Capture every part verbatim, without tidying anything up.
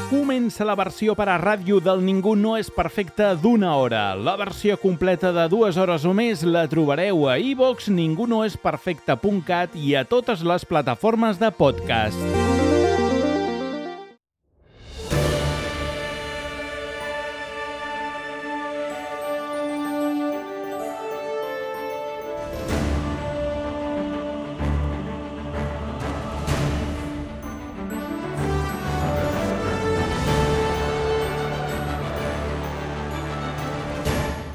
Comença la versió per a ràdio del Ningú no és perfecte d'una hora. La versió completa de dues hores o més la trobareu a iVox, ningú no és perfecte punt cat i a totes les plataformes de podcast.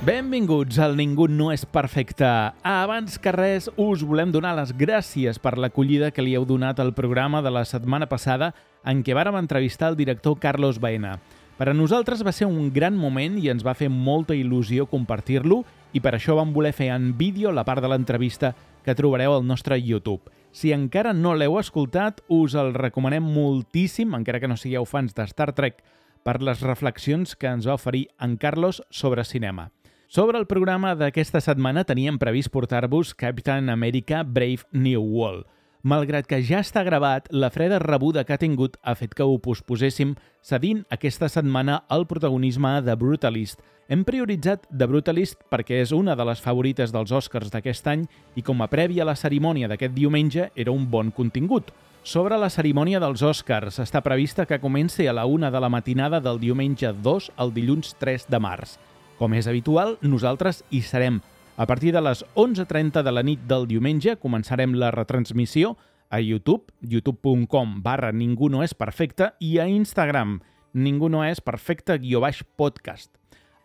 Benvinguts al Ningú no és perfecte. Abans que res, us volem donar les gràcies per l'acollida que li heu donat al programa de la setmana passada en què vàrem entrevistar el director Carlos Baena. Per a nosaltres va ser un gran moment i ens va fer molta il·lusió compartir-lo i per això vam voler fer en vídeo la part de l'entrevista que trobareu al nostre YouTube. Si encara no l'heu escoltat, us el recomanem moltíssim, encara que no sigueu fans de Star Trek, per les reflexions que ens va oferir en Carlos sobre cinema. Sobre el programa d'aquesta setmana teníem previst portar-vos Captain America Brave New World. Malgrat que ja està gravat, la freda rebuda que ha tingut ha fet que ho posposéssim, cedint aquesta setmana el protagonisme de Brutalist. Hem prioritzat The Brutalist perquè és una de les favorites dels Oscars d'aquest any i com a prèvia a la cerimònia d'aquest diumenge era un bon contingut. Sobre la cerimònia dels Oscars, està prevista que comenci a la una de la matinada del diumenge dos al dilluns tres de març. Com és habitual, nosaltres hi serem. A partir de les onze trenta de la nit del diumenge començarem la retransmissió a YouTube, youtube punt com barra ningú no és perfecte i a Instagram, ningú no és perfecte guió baix podcast.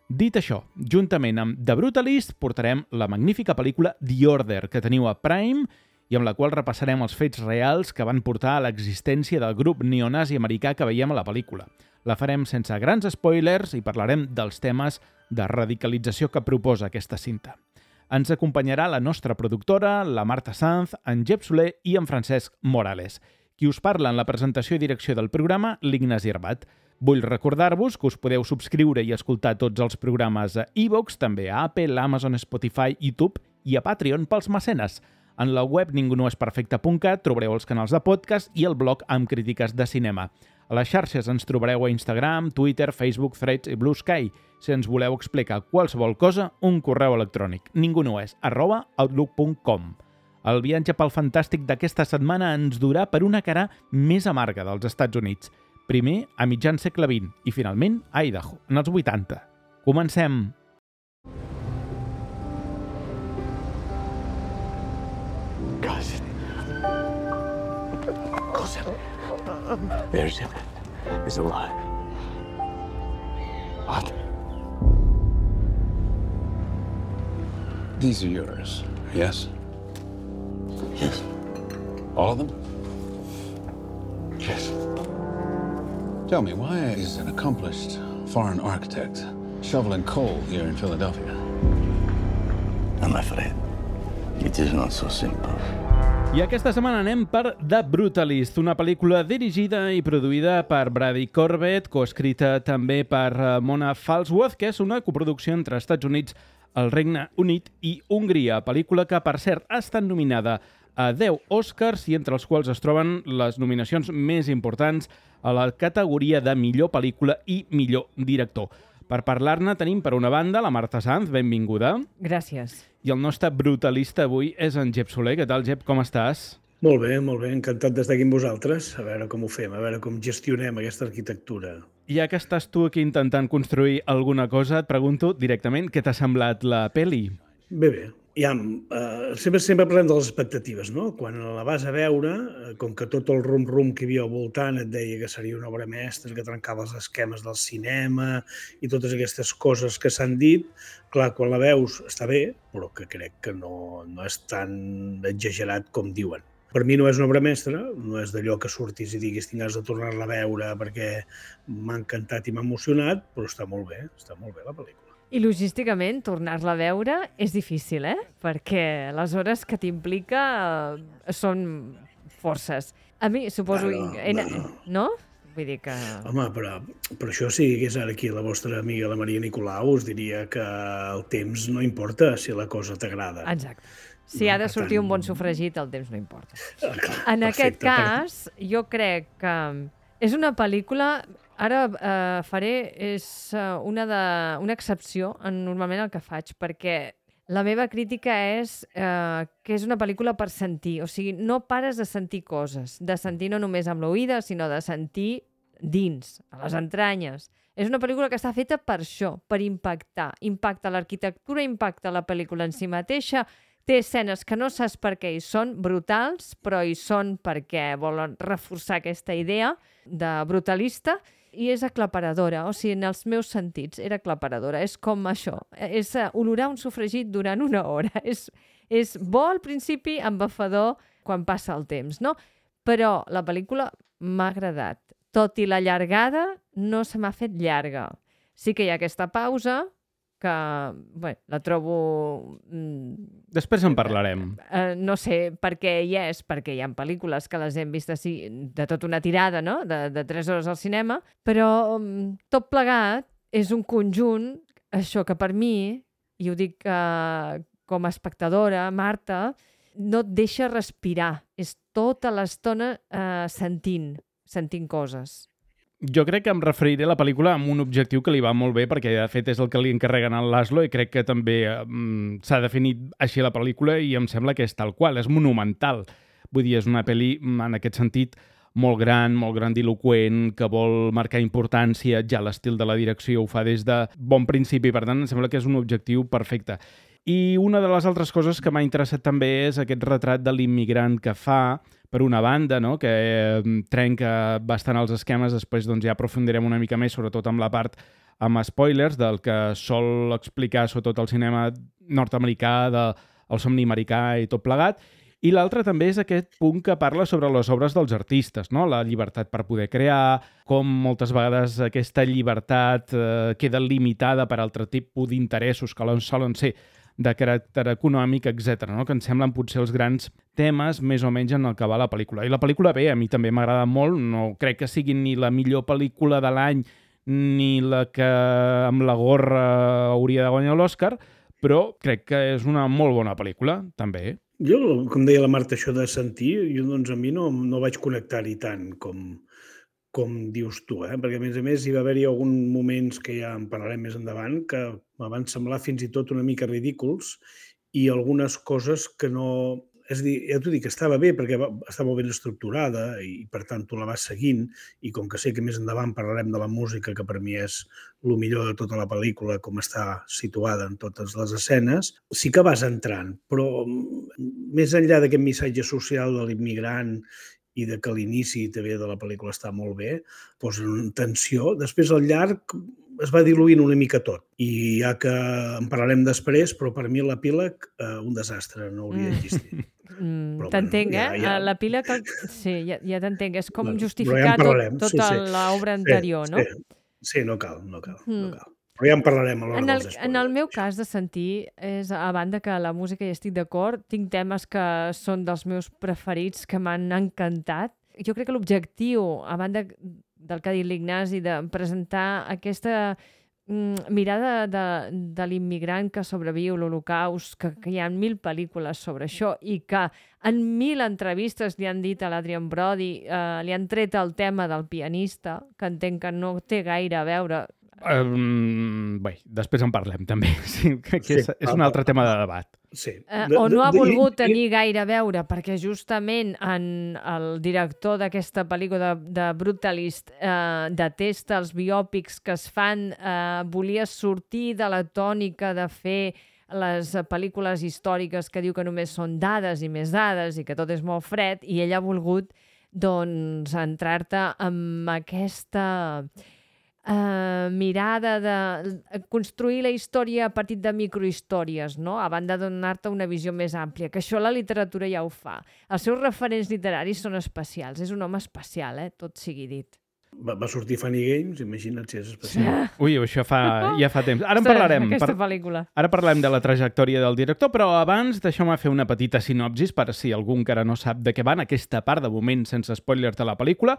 Dit això, juntament amb The Brutalist portarem la magnífica pel·lícula The Order que teniu a Prime i amb la qual repassarem els fets reals que van portar a l'existència del grup neonazi americà que veiem a la pel·lícula. La farem sense grans spoilers i parlarem dels temes de radicalització que proposa aquesta cinta. Ens acompanyarà la nostra productora, la Marta Sanz, en Jep Soler i en Francesc Morales. Qui us parla en la presentació i direcció del programa, l'Ignasi Arbat. Vull recordar-vos que us podeu subscriure i escoltar tots els programes a iVox, també a Apple, Amazon, Spotify, YouTube i a Patreon pels mecenes. En la web ningú no és perfecte punt cat trobareu els canals de podcast i el blog amb crítiques de cinema. A les xarxes ens trobareu a Instagram, Twitter, Facebook, Threads i Blue Sky. Si ens voleu explicar qualsevol cosa, un correu electrònic ningú no és arroba outlook punt com. El viatge pel fantàstic d'aquesta setmana ens durà per una cara més amarga dels Estats Units. Primer a mitjan segle vint i finalment a Idaho, en els vuitanta. Comencem! Cousin. Cousin. Virgin is alive. What? These are yours, yes? Yes. All of them? Yes. Tell me, why is an accomplished foreign architect shoveling coal here in Philadelphia? I'm afraid it is not so simple. I aquesta setmana anem per The Brutalist, una pel·lícula dirigida i produïda per Brady Corbett, coescrita també per Mona Falsworth, que és una coproducció entre Estats Units, el Regne Unit i Hongria, pel·lícula que, per cert, ha estat nominada a deu Oscars i entre els quals es troben les nominacions més importants a la categoria de millor pel·lícula i millor director. Per parlar-ne tenim, per una banda, la Marta Sanz, benvinguda. Gràcies. I el nostre brutalista avui és en Jep Soler. Què tal, Jep? Com estàs? Molt bé, molt bé. Encantat d'estar aquí amb vosaltres. A veure com ho fem, a veure com gestionem aquesta arquitectura. Ja que estàs tu aquí intentant construir alguna cosa, et pregunto directament què t'ha semblat la peli. Bé, bé. Ja, uh, sempre, sempre parlem de les expectatives, no? Quan la vas a veure, uh, com que tot el rum-rum que hi havia al voltant et deia que seria una obra mestra, que trencava els esquemes del cinema i totes aquestes coses que s'han dit, clar, quan la veus està bé, però que crec que no, no és tan exagerat com diuen. Per mi no és una obra mestra, no és d'allò que surtis i diguis tingues de tornar-la a veure perquè m'ha encantat i m'ha emocionat, però està molt bé, està molt bé la pel·lícula. I logísticament, tornar-la a veure és difícil, eh? Perquè les hores que t'implica eh, són forces. A mi, suposo... Bueno, en... bueno. No? Vull dir que... Home, però, però això si hagués ara aquí la vostra amiga, la Maria Nicolau, us diria que el temps no importa si la cosa t'agrada. Exacte. Si No, ha de per sortir tant- un bon sofregit, el temps no importa. Ah, clar, En aquest perfecte, cas, jo crec que És una pel·lícula, ara eh, faré, és eh, una, de, una excepció en normalment el que faig, perquè la meva crítica és eh, que és una pel·lícula per sentir, o sigui, no pares de sentir coses, de sentir no només amb l'oïda, sinó de sentir dins, a les entranyes. És una pel·lícula que està feta per això, per impactar. Impacta l'arquitectura, impacta la pel·lícula en si mateixa, té escenes que no saps per què hi són, brutals, però hi són perquè volen reforçar aquesta idea de brutalista, i és aclaparadora, o sigui, en els meus sentits era aclaparadora. És com això, és olorar un sofregit durant una hora. És, és bo al principi, embafador quan passa el temps, no? Però la pel·lícula m'ha agradat. Tot i la llargada, no se m'ha fet llarga. Sí que hi ha aquesta pausa, que bé, la trobo... Després en parlarem. Eh, no sé per què hi és, perquè hi ha pel·lícules que les hem vist així, de tota una tirada, no? de, de tres hores al cinema, però um, tot plegat és un conjunt, això que per mi, i ho dic uh, com a espectadora, Marta, no et deixa respirar. És tota l'estona uh, sentint, sentint coses. Jo crec que em referiré a la pel·lícula amb un objectiu que li va molt bé, perquè de fet és el que li encarreguen al Laszlo, i crec que també um, s'ha definit així la pel·lícula i em sembla que és tal qual, és monumental. Vull dir, és una pel·li en aquest sentit molt gran, molt grandiloquent, que vol marcar importància, ja l'estil de la direcció ho fa des de bon principi, per tant em sembla que és un objectiu perfecte. I una de les altres coses que m'ha interessat també és aquest retrat de l'immigrant que fa, per una banda, no? que eh, trenca bastant els esquemes, després doncs, ja aprofundirem una mica més, sobretot amb la part amb spoilers del que sol explicar sobretot el cinema nord-americà, del somni americà i tot plegat. I l'altre també és aquest punt que parla sobre les obres dels artistes, no? La llibertat per poder crear, com moltes vegades aquesta llibertat eh, queda limitada per altre tipus d'interessos que solen ser de caràcter econòmic, etcètera, no? Que ens semblen potser els grans temes més o menys en el que va la pel·lícula. I la pel·lícula, bé, a mi també m'agrada molt, no crec que sigui ni la millor pel·lícula de l'any ni la que amb la gorra hauria de guanyar l'Oscar, però crec que és una molt bona pel·lícula, també. Jo, com deia la Marta, això de sentir, jo doncs a mi no, no vaig connectar-hi tant com, com dius tu, eh? Perquè a més a més hi va haver-hi alguns moments que ja en parlarem més endavant que me van semblar fins i tot una mica ridículs i algunes coses que no... És a dir, ja t'ho dic, estava bé perquè va, estava ben estructurada i per tant tu la vas seguint i com que sé que més endavant parlarem de la música, que per mi és el millor de tota la pel·lícula, com està situada en totes les escenes, sí que vas entrant, però més enllà d'aquest missatge social de l'immigrant i de que l'inici també de la pel·lícula està molt bé, posa en tensió. Després, al llarg, es va diluint una mica tot. I ja que en parlarem després, però per mi l'epíleg, eh, un desastre, no hauria d'existir. Mm, t'entenc, bueno, ja, eh? Ja... L'epíleg, sí, ja, ja t'entenc. És com bueno, justificar ja tot, tota sí, sí. l'obra anterior, sí, no? Sí, sí, no cal, no cal, mm. no cal. Però ja en parlarem a l'hora en el, dels spoilers. En el meu cas de sentir, és a banda que la música hi estic d'acord, tinc temes que són dels meus preferits, que m'han encantat. Jo crec que l'objectiu, a banda del que ha dit l'Ignasi, de presentar aquesta mm, mirada de, de l'immigrant que sobreviu l'Holocaust, que, que hi ha mil pel·lícules sobre això i que en mil entrevistes li han dit a l'Adrian Brody, eh, li han tret el tema del pianista, que entenc que no té gaire a veure. Um, bé, després en parlem també, sí, que sí, és, és un altre tema de debat. Sí. Uh, o no ha volgut tenir gaire a veure, perquè justament en el director d'aquesta pel·lícula de, de Brutalist uh, detesta els biòpics que es fan, uh, volia sortir de la tònica de fer les pel·lícules històriques que diu que només són dades i més dades i que tot és molt fred, i ell ha volgut doncs entrar-te amb aquesta... Uh, mirada de construir la història a partir de microhistòries, no? A banda de donar-te una visió més àmplia, que això la literatura ja ho fa. Els seus referents literaris són especials, és un home especial, eh? Tot sigui dit. Va, va sortir Funny Games, imagina't si és especial. Ui, això fa, ja fa temps. Ara en Ostres, parlarem. Aquesta Per- pel·lícula. Ara parlem de la trajectòria del director, però abans deixeu-me fer una petita sinopsis per si algú encara no sap de què va en aquesta part, de moment sense spoilers de la pel·lícula.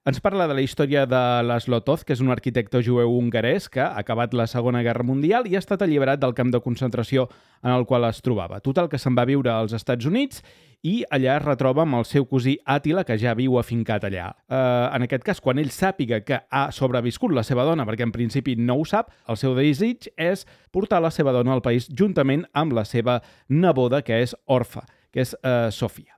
Ens parla de la història de Laszlo Toth, que és un arquitecte jueu hongarès que ha acabat la Segona Guerra Mundial i ha estat alliberat del camp de concentració en el qual es trobava. Total, que se'n va viure als Estats Units i allà es retroba amb el seu cosí Àtila, que ja viu afincat allà. Eh, en aquest cas, quan ell sàpiga que ha sobreviscut la seva dona, perquè en principi no ho sap, el seu desig és portar la seva dona al país juntament amb la seva neboda, que és orfa, que és eh, Sofia.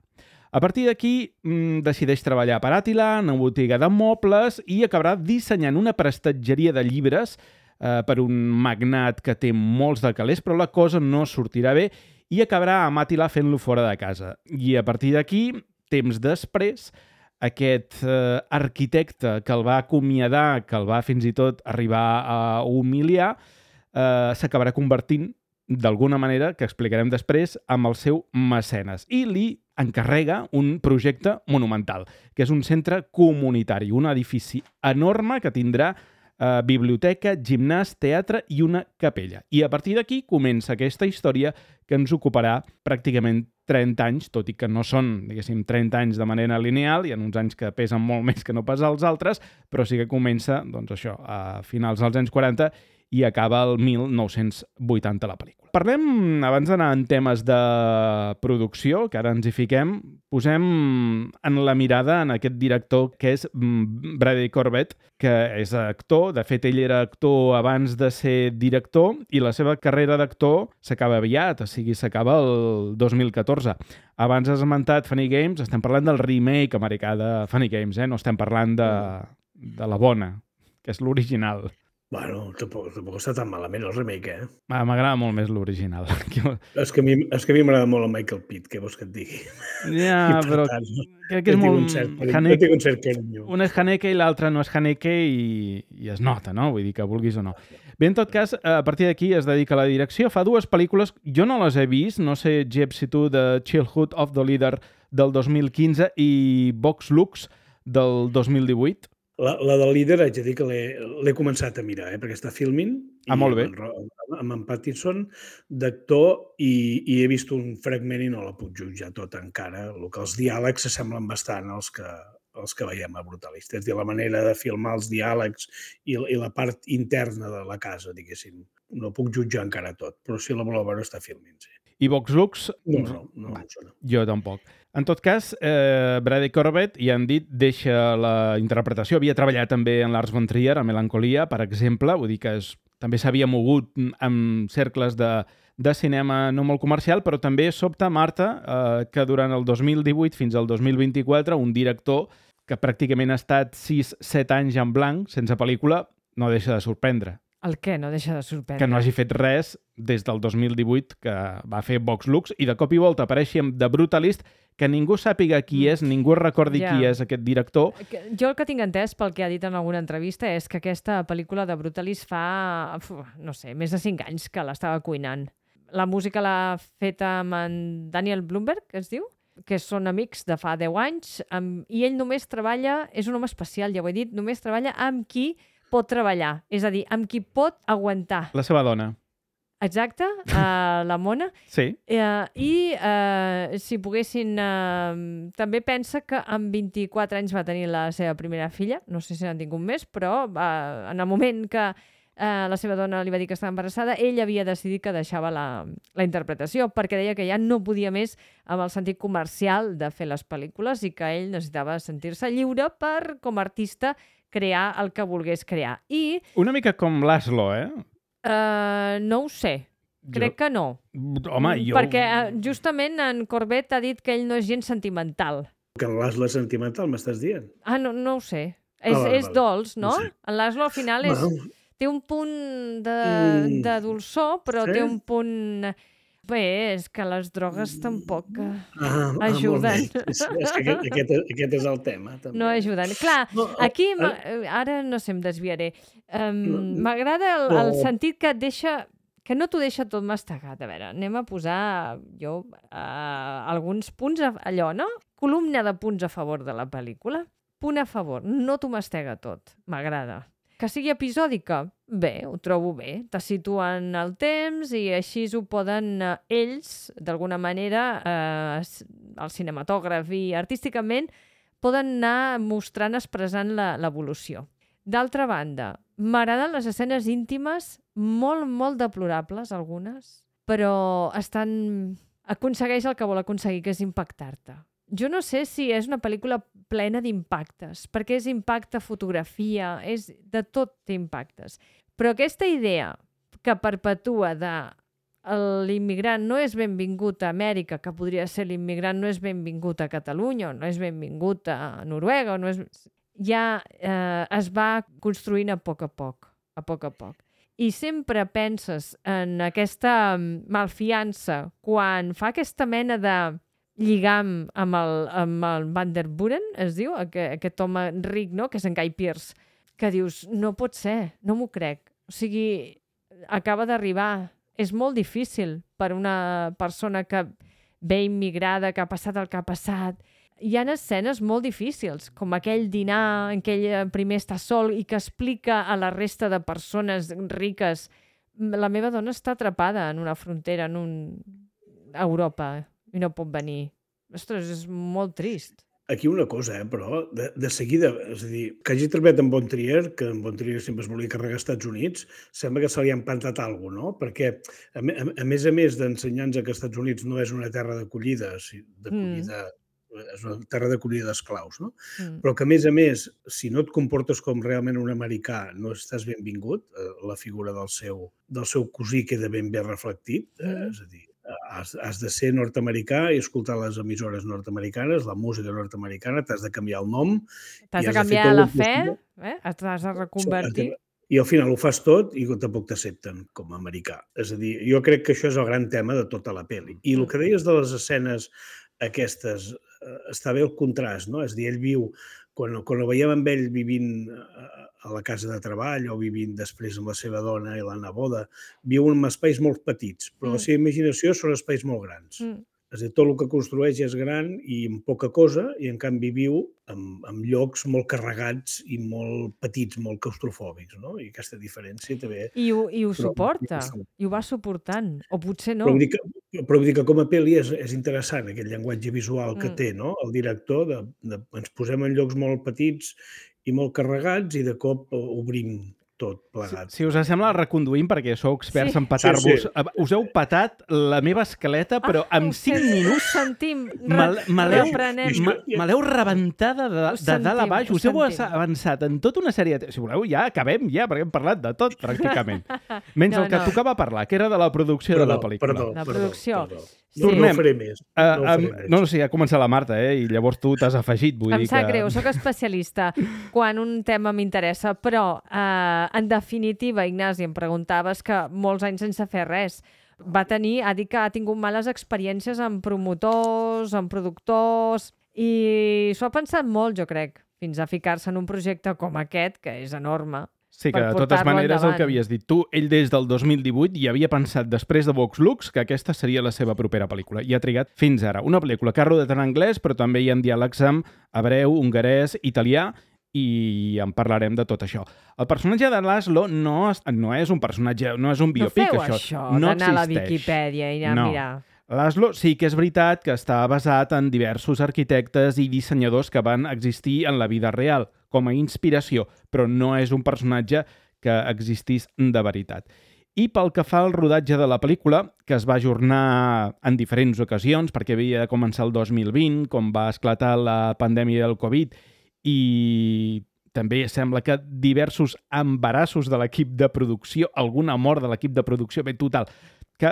A partir d'aquí, mmm, decideix treballar per Àtila en una botiga de mobles i acabarà dissenyant una prestatgeria de llibres eh, per un magnat que té molts de calés, però la cosa no sortirà bé i acabarà amb Àtila fent-lo fora de casa. I a partir d'aquí, temps després, aquest eh, arquitecte que el va acomiadar, que el va fins i tot arribar a humiliar, eh, s'acabarà convertint d'alguna manera, que explicarem després, amb el seu mecenes. I li encarrega un projecte monumental, que és un centre comunitari, un edifici enorme que tindrà eh, biblioteca, gimnàs, teatre i una capella. I a partir d'aquí comença aquesta història que ens ocuparà pràcticament trenta anys, tot i que no són, diguéssim, trenta anys de manera lineal, hi ha uns anys que pesen molt més que no pas els altres, però sí que comença, doncs això, a finals dels anys quaranta i acaba el mil nou-cents vuitanta la pel·lícula. Parlem, abans d'anar en temes de producció, que ara ens hi fiquem, posem en la mirada en aquest director que és Bradley Corbett, que és actor. De fet, ell era actor abans de ser director i la seva carrera d'actor s'acaba aviat, o sigui, s'acaba el dos mil catorze. Abans has esmentat Funny Games, estem parlant del remake americà de Funny Games, eh? No estem parlant de, de la bona, que és l'original. Bueno, tampoc, tampoc està tan malament el remake, eh? Ah, m'agrada molt més l'original. És que a mi, és que a mi m'agrada molt el Michael Pitt, què vols que et digui? Ja, I per però tant, crec que és jo tinc molt... un cert carinyo, Haneke- jo tinc un cert carinyo. Un és Haneke i l'altre no és Haneke i, i es nota, no? Vull dir que vulguis o no. Bé, en tot cas, a partir d'aquí es dedica a la direcció. Fa dues pel·lícules, jo no les he vist, no sé, Jeb, si tu, de Childhood of the Leader del dos mil quinze i Vox Lux del dos mil divuit. La, la del líder haig de dir que l'he l'he començat a mirar, eh, perquè està filming. Ah, molt bé. Amb, en, amb en Pattinson d'actor i, i he vist un fragment i no la puc jutjar tot encara. El que els diàlegs s'assemblen bastant als que, els que veiem a Brutalista. És a dir, la manera de filmar els diàlegs i, i la part interna de la casa, diguéssim. No puc jutjar encara tot, però si la voleu veure està filming, sí. I Vox Lux? No, no, no, Va, no sona. jo tampoc. En tot cas, eh, Bradley Corbett, ja han dit, deixa la interpretació. Havia treballat també en Lars von Trier, a Melancolia, per exemple. Vull dir que és, també s'havia mogut en cercles de, de cinema no molt comercial, però també sobta, Marta, eh, que durant el dos mil divuit fins al dos mil vint-i-quatre un director que pràcticament ha estat sis set anys en blanc, sense pel·lícula, no deixa de sorprendre. El què no deixa de sorprendre? Que no hagi fet res des del dos mil divuit, que va fer Vox Lux, i de cop i volta apareixi amb The Brutalist, que ningú sàpiga qui és, ningú recordi Ja. qui és aquest director. Que- Jo el que tinc entès, pel que ha dit en alguna entrevista, és que aquesta pel·lícula de Brutalist fa, uf, no sé, més de cinc anys que l'estava cuinant. La música l'ha feta amb en Daniel Blumberg, que es diu, que són amics de fa deu anys, amb, i ell només treballa, és un home especial, ja ho he dit, només treballa amb qui pot treballar, és a dir, amb qui pot aguantar. La seva dona. Exacte, uh, la Mona. Sí. Uh, I uh, si poguessin... Uh, també pensa que amb vint-i-quatre anys va tenir la seva primera filla, no sé si n'han tingut més, però uh, en el moment que uh, la seva dona li va dir que estava embarassada, ell havia decidit que deixava la, la interpretació, perquè deia que ja no podia més amb el sentit comercial de fer les pel·lícules i que ell necessitava sentir-se lliure per, com a artista, crear el que volgués crear. I Una mica com Laszlo, eh? uh, no ho sé, crec Jo- que no. Home, jo... Perquè uh, justament en Corbett ha dit que ell no és gens sentimental. Que en l'Asla sentimental m'estàs dient? Ah, no, no ho sé. És, Ah, vale, és vale. dolç, no? No sé. En Laszlo al final és, Bueno, té un punt de, Mm. de dolçor, però Sí? té un punt... Bé, és que les drogues tampoc eh, ah, ah, Ajuden. molt bé. És, és que aquest, aquest, aquest és el tema, també. no ajuden. Clar, No, aquí, ara- m'ha- ara no sé, em desviaré. Um, No, M'agrada el, no. el sentit que et deixa que no t'ho deixa tot mastegat. A veure, anem a posar jo uh, alguns punts, a, allò, no? Columna de punts a favor de la pel·lícula. punt a favor, no t'ho mastega tot, m'agrada. Que sigui episòdica? Bé, ho trobo bé. Te situen el temps i així ho poden eh, ells, d'alguna manera, eh, el cinematògraf i artísticament, poden anar mostrant, expressant l'evolució. D'altra banda, m'agraden les escenes íntimes, molt, molt deplorables, algunes, però estan... aconsegueix el que vol aconseguir, que és impactar-te. Jo no sé si és una pel·lícula plena d'impactes, perquè és impacte, fotografia, és de tot té impactes. Però aquesta idea que perpetua de l'immigrant no és benvingut a Amèrica, que podria ser l'immigrant no és benvingut a Catalunya, no és benvingut a Noruega, no és... ja eh, es va construint a poc a poc, a poc a poc. I sempre penses en aquesta malfiança quan fa aquesta mena de lligam amb el, amb el Van der Buren, es diu, aquest, aquest home ric, no?, que és en Guy Pearce, que dius, no pot ser, no m'ho crec. O sigui, acaba d'arribar. És molt difícil per una persona que ve immigrada, que ha passat el que ha passat. Hi ha escenes molt difícils, com aquell dinar en què ell primer està sol i que explica a la resta de persones riques la meva dona està atrapada en una frontera, en un... a Europa, i no pot venir. Ostres, és molt trist. Aquí una cosa, eh, però, de, de seguida, és a dir, que hagi treballat amb Von Trier, que en Von Trier sempre es volia carregar als Estats Units, sembla que se li ha implantat alguna cosa, no? Perquè, a, a, a més a més d'ensenyar-nos que els Estats Units no és una terra d'acollida, d'acollida, mm. és una terra d'acollida d'esclaus, no? Mm. Però que, a més a més, si no et comportes com realment un americà, no estàs benvingut, eh, la figura del seu, del seu cosí queda ben bé reflectit, eh, mm. és a dir, Has, has de ser nord-americà i escoltar les emissores nord-americanes, la música nord-americana, t'has de canviar el nom. T'has de canviar la fe, eh? T'has de reconvertir. I al final ho fas tot i tampoc t'accepten com a americà. És a dir, jo crec que això és el gran tema de tota la pel·li. I el que deies de les escenes aquestes, està bé el contrast, no? És a dir, ell viu, quan, quan el veiem amb ell vivint a la casa de treball o vivint després amb la seva dona i la neboda, viu en espais molt petits, però mm. la seva imaginació són espais molt grans. Mm. És a dir, tot el que construeix és gran i amb poca cosa, i en canvi viu en, en llocs molt carregats i molt petits, molt claustrofòbics, no? I aquesta diferència també... I ho, i ho però, suporta, i ho va suportant, o potser no. Però vull dir que, però vull dir que com a pel·li és, és interessant aquest llenguatge visual que mm. té, no? El director, de, de, ens posem en llocs molt petits i molt carregats i de cop obrim tot plegat. Si, si us sembla, reconduïm, perquè sou experts sí. en petar-vos. Sí, sí. Us heu petat la meva escaleta, però ah, en cinc minuts sentim. me l'heu rebentada de, de sentim, dalt a baix. Us heu avançat en tota una sèrie... De... Si voleu, ja acabem, ja, perquè hem parlat de tot, pràcticament. Menys no, el que no. tocava parlar, que era de la producció perdó, de la pel·lícula. Perdó, la producció. Perdó, perdó. Sí. No, no ho faré més. No, uh, um, no, no, sí, ha començat la Marta, eh? I llavors tu t'has afegit. Vull em dir sap que... greu, sóc especialista quan un tema m'interessa, però uh, en definitiva, Ignasi, em preguntaves que molts anys sense fer res. Va tenir, ha dit que ha tingut males experiències amb promotors, amb productors, i s'ho ha pensat molt, jo crec, fins a ficar-se en un projecte com aquest, que és enorme. Sí, que de totes maneres endavant. El que havies dit tu, ell des del dos mil divuit ja havia pensat després de Vox Lux que aquesta seria la seva propera pel·lícula i ha trigat fins ara. Una pel·lícula que ha rodat en anglès, però també hi ha diàlegs amb hebreu, hongarès, italià, i en parlarem de tot això. El personatge de Laszlo no, no és un personatge, no és un biopic, no això. això no d'anar a la Viquipèdia i anar no. a mirar. Laszlo sí que és veritat que està basat en diversos arquitectes i dissenyadors que van existir en la vida real, com a inspiració, però no és un personatge que existís de veritat. I pel que fa al rodatge de la pel·lícula, que es va ajornar en diferents ocasions, perquè havia de començar el dos mil vint, com va esclatar la pandèmia del Covid, i també sembla que diversos embarassos de l'equip de producció, alguna mort de l'equip de producció, bé, total, que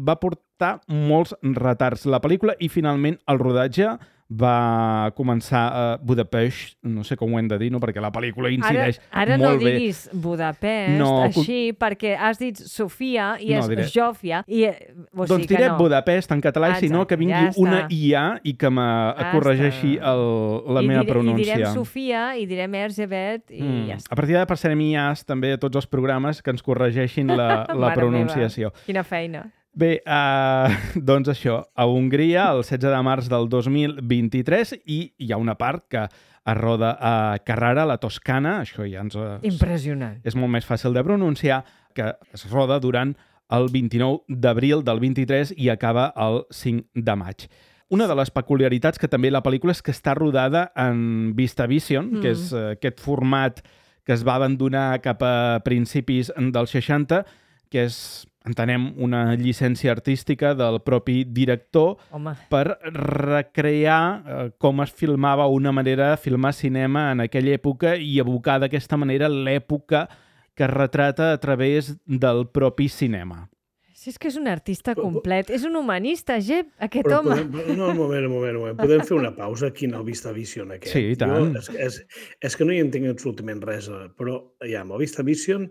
va portar molts retards la pel·lícula i finalment el rodatge va començar a Budapest, no sé com ho hem de dir, no? Perquè la pel·lícula incideix ara, ara molt bé. Ara no diguis Budapest, no, així, perquè has dit Sofia i és no, Jòfia. I, o doncs sigui diré no. Budapest en català, Exacte, sinó que vingui ja una I A i que me ja corregeixi el, la I meva diré, pronúncia. I direm Sofia, i direm Erzsébet, i mm. ja està. A partir d'ara passarem I As també a tots els programes que ens corregeixin la, la pronunciació. Meva. Quina feina. Bé, uh, doncs això, a Hongria, el setze de març del dos mil vint-i-tres, i hi ha una part que es roda a Carrara, la Toscana, això ja ens... Impressionant. És molt més fàcil de pronunciar, que es roda durant el vint-i-nou d'abril del vint-i-tres i acaba el cinc de maig. Una de les peculiaritats que també la pel·lícula és que està rodada en VistaVision, mm. que és uh, aquest format que es va abandonar cap a principis dels seixanta, que és, entenem, una llicència artística del propi director Home. per recrear eh, com es filmava una manera de filmar cinema en aquella època i evocar d'aquesta manera l'època que es retrata a través del propi cinema. Si és que és un artista complet, és un humanista, Jep, aquest Però home. podem, no, un moment, un moment, un moment. Podem fer una pausa aquí en el VistaVision aquest. Sí, i tant. Jo, és, és, és que no hi entenc absolutament res, però ja, amb el VistaVision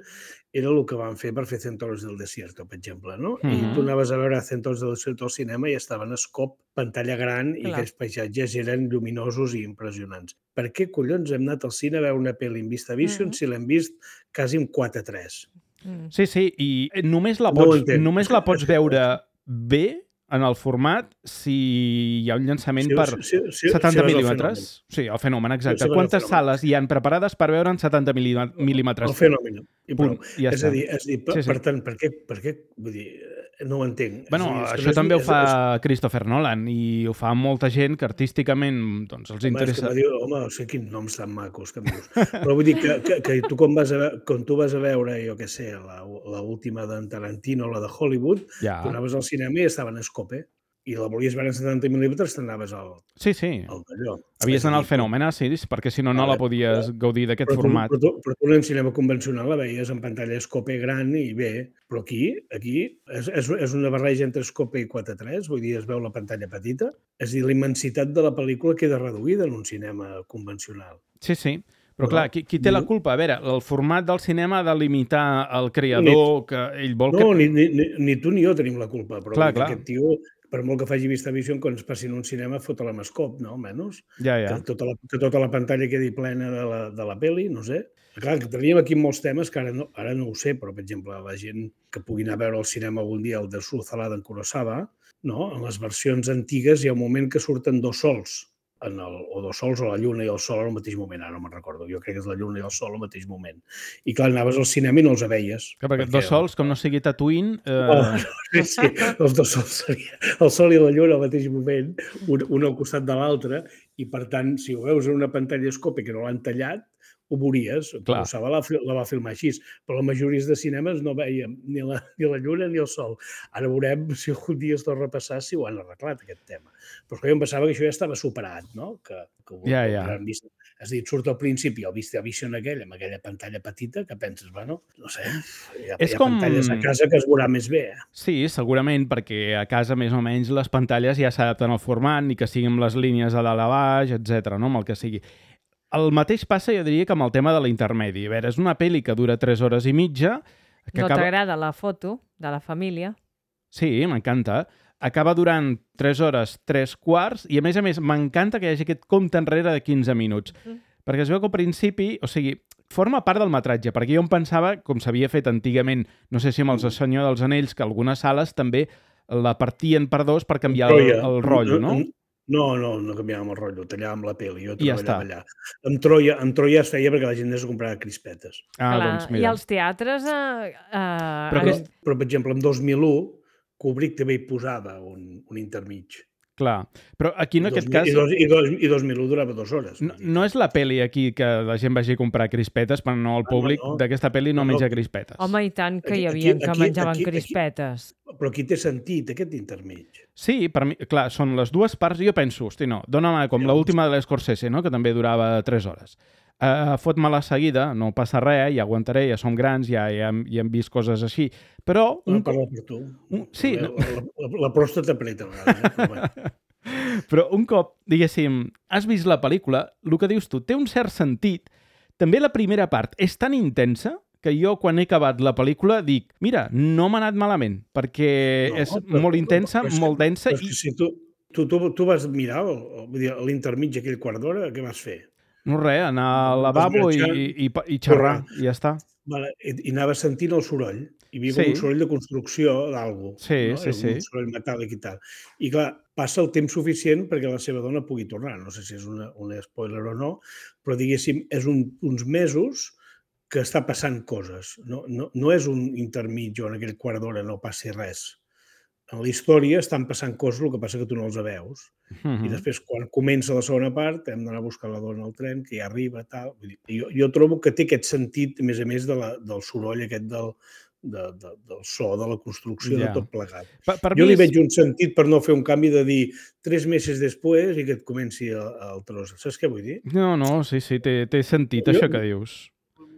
era el que van fer per fer Cent Horas del Desierto, per exemple, no? Mm -hmm. I tu anaves a veure Cent Horas del Desierto al cinema i estaven a escop, pantalla gran, Clar. i aquells paisatges eren lluminosos i impressionants. Per què collons hem anat al cine a veure una pel·li en VistaVision mm -hmm. si l'hem vist quasi en quatre tres? Mm. Sí, sí, i només la pots, no només la pots veure bé en el format si hi ha un llançament sí, per sí, sí, setanta sí, mil·límetres. Sí, el fenomen, exacte. Sí, Quantes fenomen. sales hi han preparades per veure en setanta mil·límetres? El fenomen. I Punt, i ja és està. a dir, és a dir per, Sí, sí. per tant, per què, per què, vull dir, no ho entenc. Bueno, és dir, és això no és, també ho és, fa és, Christopher Nolan i ho fa molta gent que artísticament doncs, els home, interessa. És que diu, home, no sé quins noms tan macos que em dius. Però vull dir que, que, que tu quan, vas a, quan tu vas a veure, jo què sé, la, la última d'en Tarantino, la de Hollywood, Ja. tu anaves al cinema i estaven a escope. I la volies veure en setanta mil·límetres, t'anaves al, Sí, sí. al d'allò. Havies d'anar al fenomen, sí, perquè si no, no la podies gaudir d'aquest format. Però tu, però tu en el cinema convencional la veies en pantalla escope gran i bé, però aquí aquí és, és, és una barreja entre escope i quatre tres, vull dir, es veu la pantalla petita, és a dir, la immensitat de la pel·lícula queda reduïda en un cinema convencional. Sí, sí. Però clar, qui, qui té la culpa? A veure, el format del cinema ha de limitar el creador, que ell vol que... No, ni, ni, ni, ni tu ni jo tenim la culpa, però clar, clar. aquest tio, per molt que faci VistaVision, quan es passi en un cinema, fot l'emescop, no? Almenys. Ja, ja. Que tota la, que tota la pantalla quedi plena de la, de la pel·li, no sé. Clar, que teníem aquí molts temes que ara no, ara no ho sé, però, per exemple, la gent que pugui anar a veure al cinema algun dia el de Sulzalada en Kurosawa, no? En les versions antigues hi ha un moment que surten dos sols, en el, o dos sols, o la lluna i el sol al mateix moment, ara no me'n recordo, jo crec que és la lluna i el sol al mateix moment. I clar, anaves al cinema i no els veies. Clar, perquè, perquè dos sols, com no sigui Tatooine... Eh... Oh, no, sí, els dos sols seria el sol i la lluna al mateix moment, un, un al costat de l'altre, i per tant, si ho veus en una pantalla escope que no l'han tallat, ho veuries. Kurosawa la, la va filmar així, però la majoria de cinemes no veiem ni la, ni la lluna ni el sol. Ara veurem si algun dia es torna a repassar si ho han arreglat, aquest tema. Però jo em pensava que això ja estava superat, no? Que, que ja, ja. Vist, has dit, surt al principi el VistaVision aquell, amb aquella pantalla petita, que penses, bueno, no sé, hi ha, hi ha com... pantalles a casa que es veurà més bé. Eh? Sí, segurament, perquè a casa més o menys les pantalles ja s'adapten al format, ni que siguin les línies a dalt a baix, etcètera, no? Amb el que sigui. El mateix passa, jo diria, que amb el tema de l'intermedi. A veure, és una pel·li que dura tres hores i mitja... Que no acaba... t'agrada la foto de la família? Sí, m'encanta. Acaba durant tres hores, tres quarts, i a més a més m'encanta que hi hagi aquest compte enrere de quinze minuts. Mm. Perquè es veu que al principi, o sigui, forma part del metratge, perquè jo em pensava, com s'havia fet antigament, no sé si amb els El Senyor dels Anells, que algunes sales també la partien per dos per canviar el, el rotllo, no? No, no, no canviàvem el rotllo, tallàvem la pel·li, jo ja treballava allà. Amb Troia, amb Troia es feia perquè la gent es comprava crispetes. Ah, Clar, doncs mira. I els teatres... Eh, eh, però, en... però, per exemple, en dos mil u, Kubrick també hi posava un, un intermig. Clar, però aquí en aquest cas... I, dos, i, dos, I dos mil u durava dues hores. No, no és la pel·li aquí que la gent vagi a comprar crispetes, però no, el públic no, no. d'aquesta pel·li no, no menja crispetes. Home, i tant que aquí, hi havia aquí, que aquí, menjaven aquí, crispetes. Aquí, però aquí té sentit, aquest intermig. Sí, per mi, clar, són les dues parts, jo penso, hosti, no, dóna'm com ja, l'última de l'Scorsese, no?, que també durava tres hores. Uh, fot-me la seguida, no passa res, ja aguantaré, ja som grans, ja, ja, hem, ja hem vist coses així, però... Un... No, parla per tu. Un... Sí, la, la, la, la pròstata apreta a vegades. Eh? Però un cop, diguéssim, has vist la pel·lícula, el que dius tu té un cert sentit. També la primera part és tan intensa que jo, quan he acabat la pel·lícula, dic, mira, no m'ha anat malament, perquè no, és però, molt intensa, però, però, molt densa... Però i... si tu, tu, tu, tu vas mirar l'intermig aquell quart d'hora, què vas fer? No res, anar al lavabo i, i, i xerrar, i ja està. Vale, i, i anaves sentint el soroll. Hi havia Sí. com un soroll de construcció d'algú, Sí, no? sí, Era sí. un soroll metàl·lic i tal. I clar, passa el temps suficient perquè la seva dona pugui tornar. No sé si és una, un spoiler o no, però diguéssim, és un, uns mesos que està passant coses. No, no, no és un intermig on aquell quart d'hora no passi res. En la història estan passant coses, el que passa que tu no els veus. Mhm. I després, quan comença la segona part, hem d'anar a buscar la dona al tren, que ja arriba, tal. Vull dir, jo, jo trobo que té aquest sentit, a més a més, de la, del soroll aquest del, de, de, del so, de la construcció, Ja. de tot plegat. Per, per Jo mi li és... veig un sentit per no fer un canvi de dir tres mesos després i que et comenci el, el tros. Saps què vull dir? No, no, sí, sí, té, té sentit Jo- això que dius.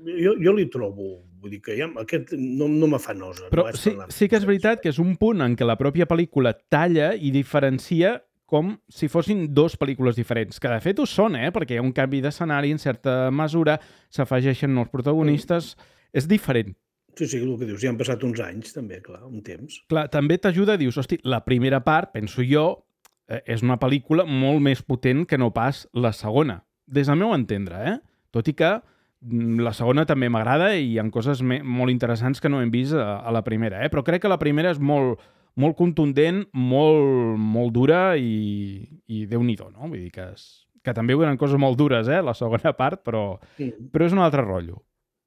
Jo, jo li trobo, vull dir que ja, aquest no, no me fa nosa. Però no és sí, per anar- sí que és veritat que és un punt en què la pròpia pel·lícula talla i diferencia com si fossin dues pel·lícules diferents, que de fet ho són, eh? Perquè hi ha un canvi d'escenari en certa mesura, s'afegeixen nous protagonistes, és diferent. Sí, sí, el que dius, ja han passat uns anys també, clar, un temps. Clar, també t'ajuda, dius, hosti, la primera part, penso jo, eh, és una pel·lícula molt més potent que no pas la segona, des del meu entendre, eh? Tot i que mm, la segona també m'agrada i hi ha coses me molt interessants que no hem vist a, a la primera, eh? Però crec que la primera és molt, molt contundent, molt, molt dura i, i Déu-n'hi-do, no? Vull dir que, és, que també hi ha coses molt dures, eh? La segona part, però, Mm. però és un altre rotllo.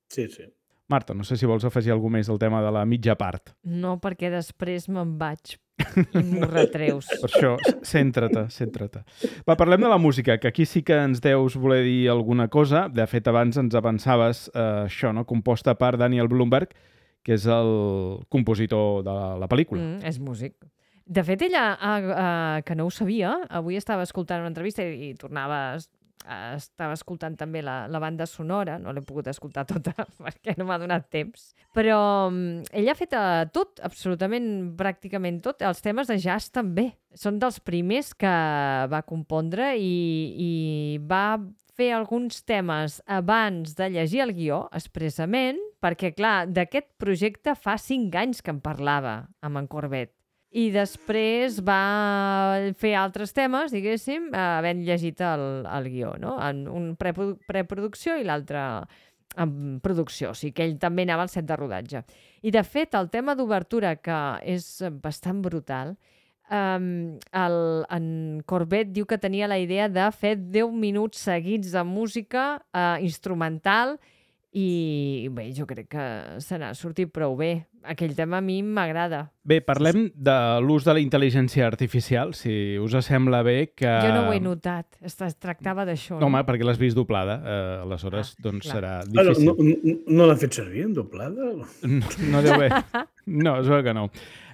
Sí, sí. Marta, no sé si vols afegir alguna més del tema de la mitja part. No, perquè després me'n vaig i m'ho retreus. Per això, centra-te, centra-te. Va, parlem de la música, que aquí sí que ens deus voler dir alguna cosa. De fet, abans ens avançaves eh, això, no? Composta per Daniel Blumberg, que és el compositor de la pel·lícula. Mm, és músic. De fet, ella, uh, uh, que no ho sabia, avui estava escoltant una entrevista i, i tornava... Uh, estava escoltant també la, la banda sonora, no l'he pogut escoltar tota perquè no m'ha donat temps, però um, ella ha fet uh, tot, absolutament, pràcticament tot, els temes de jazz també. Són dels primers que va compondre i, i va fer alguns temes abans de llegir el guió, expressament, perquè, clar, d'aquest projecte fa cinc anys que en parlava amb en Corbett. I després va fer altres temes, diguéssim, havent llegit el, el guió, no? En un preprodu preproducció i l'altre en producció, o sigui que ell també anava al set de rodatge. I, de fet, el tema d'obertura, que és bastant brutal, um, el, en Corbett diu que tenia la idea de fer deu minuts seguits de música uh, instrumental i bé, jo crec que se n'ha sortit prou bé. Aquell tema a mi m'agrada. Bé, parlem de l'ús de la intel·ligència artificial, si us sembla bé que... Jo no ho he notat, es tractava d'això. No, home, perquè l'has vist doblada, eh, aleshores Ah, doncs clar. serà Ah, no, difícil. no, no, no l'han fet servir en doblada? No, no deu haver. No, es veu que no.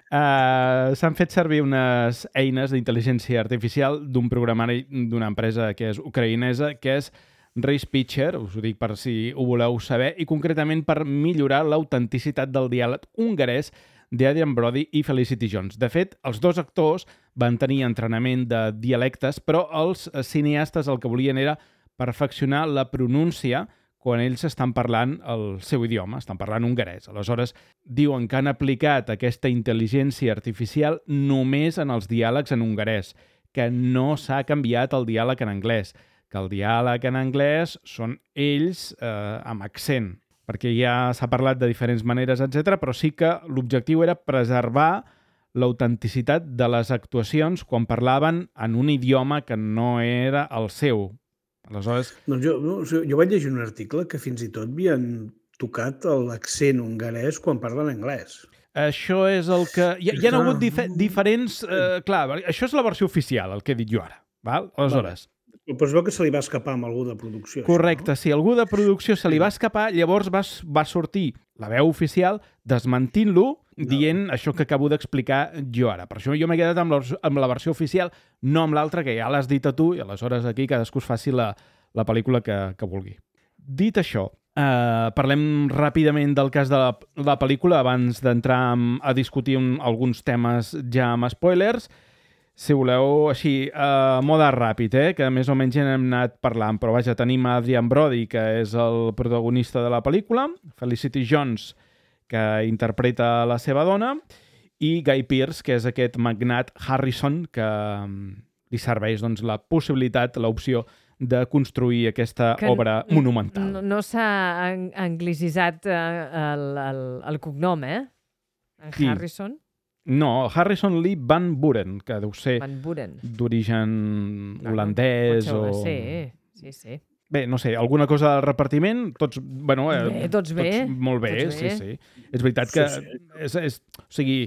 Uh, S'han fet servir unes eines d'intel·ligència artificial d'un programari d'una empresa que és ucraïnesa, que és Race Pitcher, us ho dic per si ho voleu saber, i concretament per millorar l'autenticitat del diàleg hongarès d'Adrian Brody i Felicity Jones. De fet, els dos actors van tenir entrenament de dialectes, però els cineastes el que volien era perfeccionar la pronúncia quan ells estan parlant el seu idioma, estan parlant hongarès. Aleshores, diuen que han aplicat aquesta intel·ligència artificial només en els diàlegs en hongarès, que no s'ha canviat el diàleg en anglès, que el diàleg en anglès són ells eh, amb accent, perquè ja s'ha parlat de diferents maneres, etcètera, però sí que l'objectiu era preservar l'autenticitat de les actuacions quan parlaven en un idioma que no era el seu. Aleshores... Doncs jo, no, jo vaig llegir un article que fins i tot havien tocat l'accent hongarès quan parlen anglès. Això és el que... Hi, hi ha hagut dif diferents... Eh, clar, això és la versió oficial, el que he dit jo ara. Val? Aleshores... Vale. Però es veu que se li va escapar amb algú de producció. Correcte, això, no? si algú de producció se li va escapar, llavors va, va sortir la veu oficial desmentint-lo, no. dient això que acabo d'explicar jo ara. Per això jo m'he quedat amb la, amb la versió oficial, no amb l'altra, que ja l'has dit a tu, i aleshores aquí cadascú es faci la, la pel·lícula que, que vulgui. Dit això, eh, parlem ràpidament del cas de la, la pel·lícula abans d'entrar a discutir un, alguns temes ja amb spoilers. Si voleu, així, a mode ràpid, eh? Que més o menys ja n'hem anat parlant, però vaja, tenim Adrian Brody, que és el protagonista de la pel·lícula, Felicity Jones, que interpreta la seva dona, i Guy Pearce, que és aquest magnat Harrison, que li serveix doncs, la possibilitat, l'opció de construir aquesta que obra monumental. No, no s'ha an anglicitzat eh, el, el, el cognom, eh? En Qui? Harrison? No, Harrison Lee Van Buren, que deu ser Van Buren. d'origen Clar, holandès pot o... ser, sí, sí. Bé, no sé, alguna cosa del repartiment, tots, bueno... Bé, tots bé. Tots molt bé, Tots sí, bé. sí. És veritat que... Sí, sí. És, és, o sigui,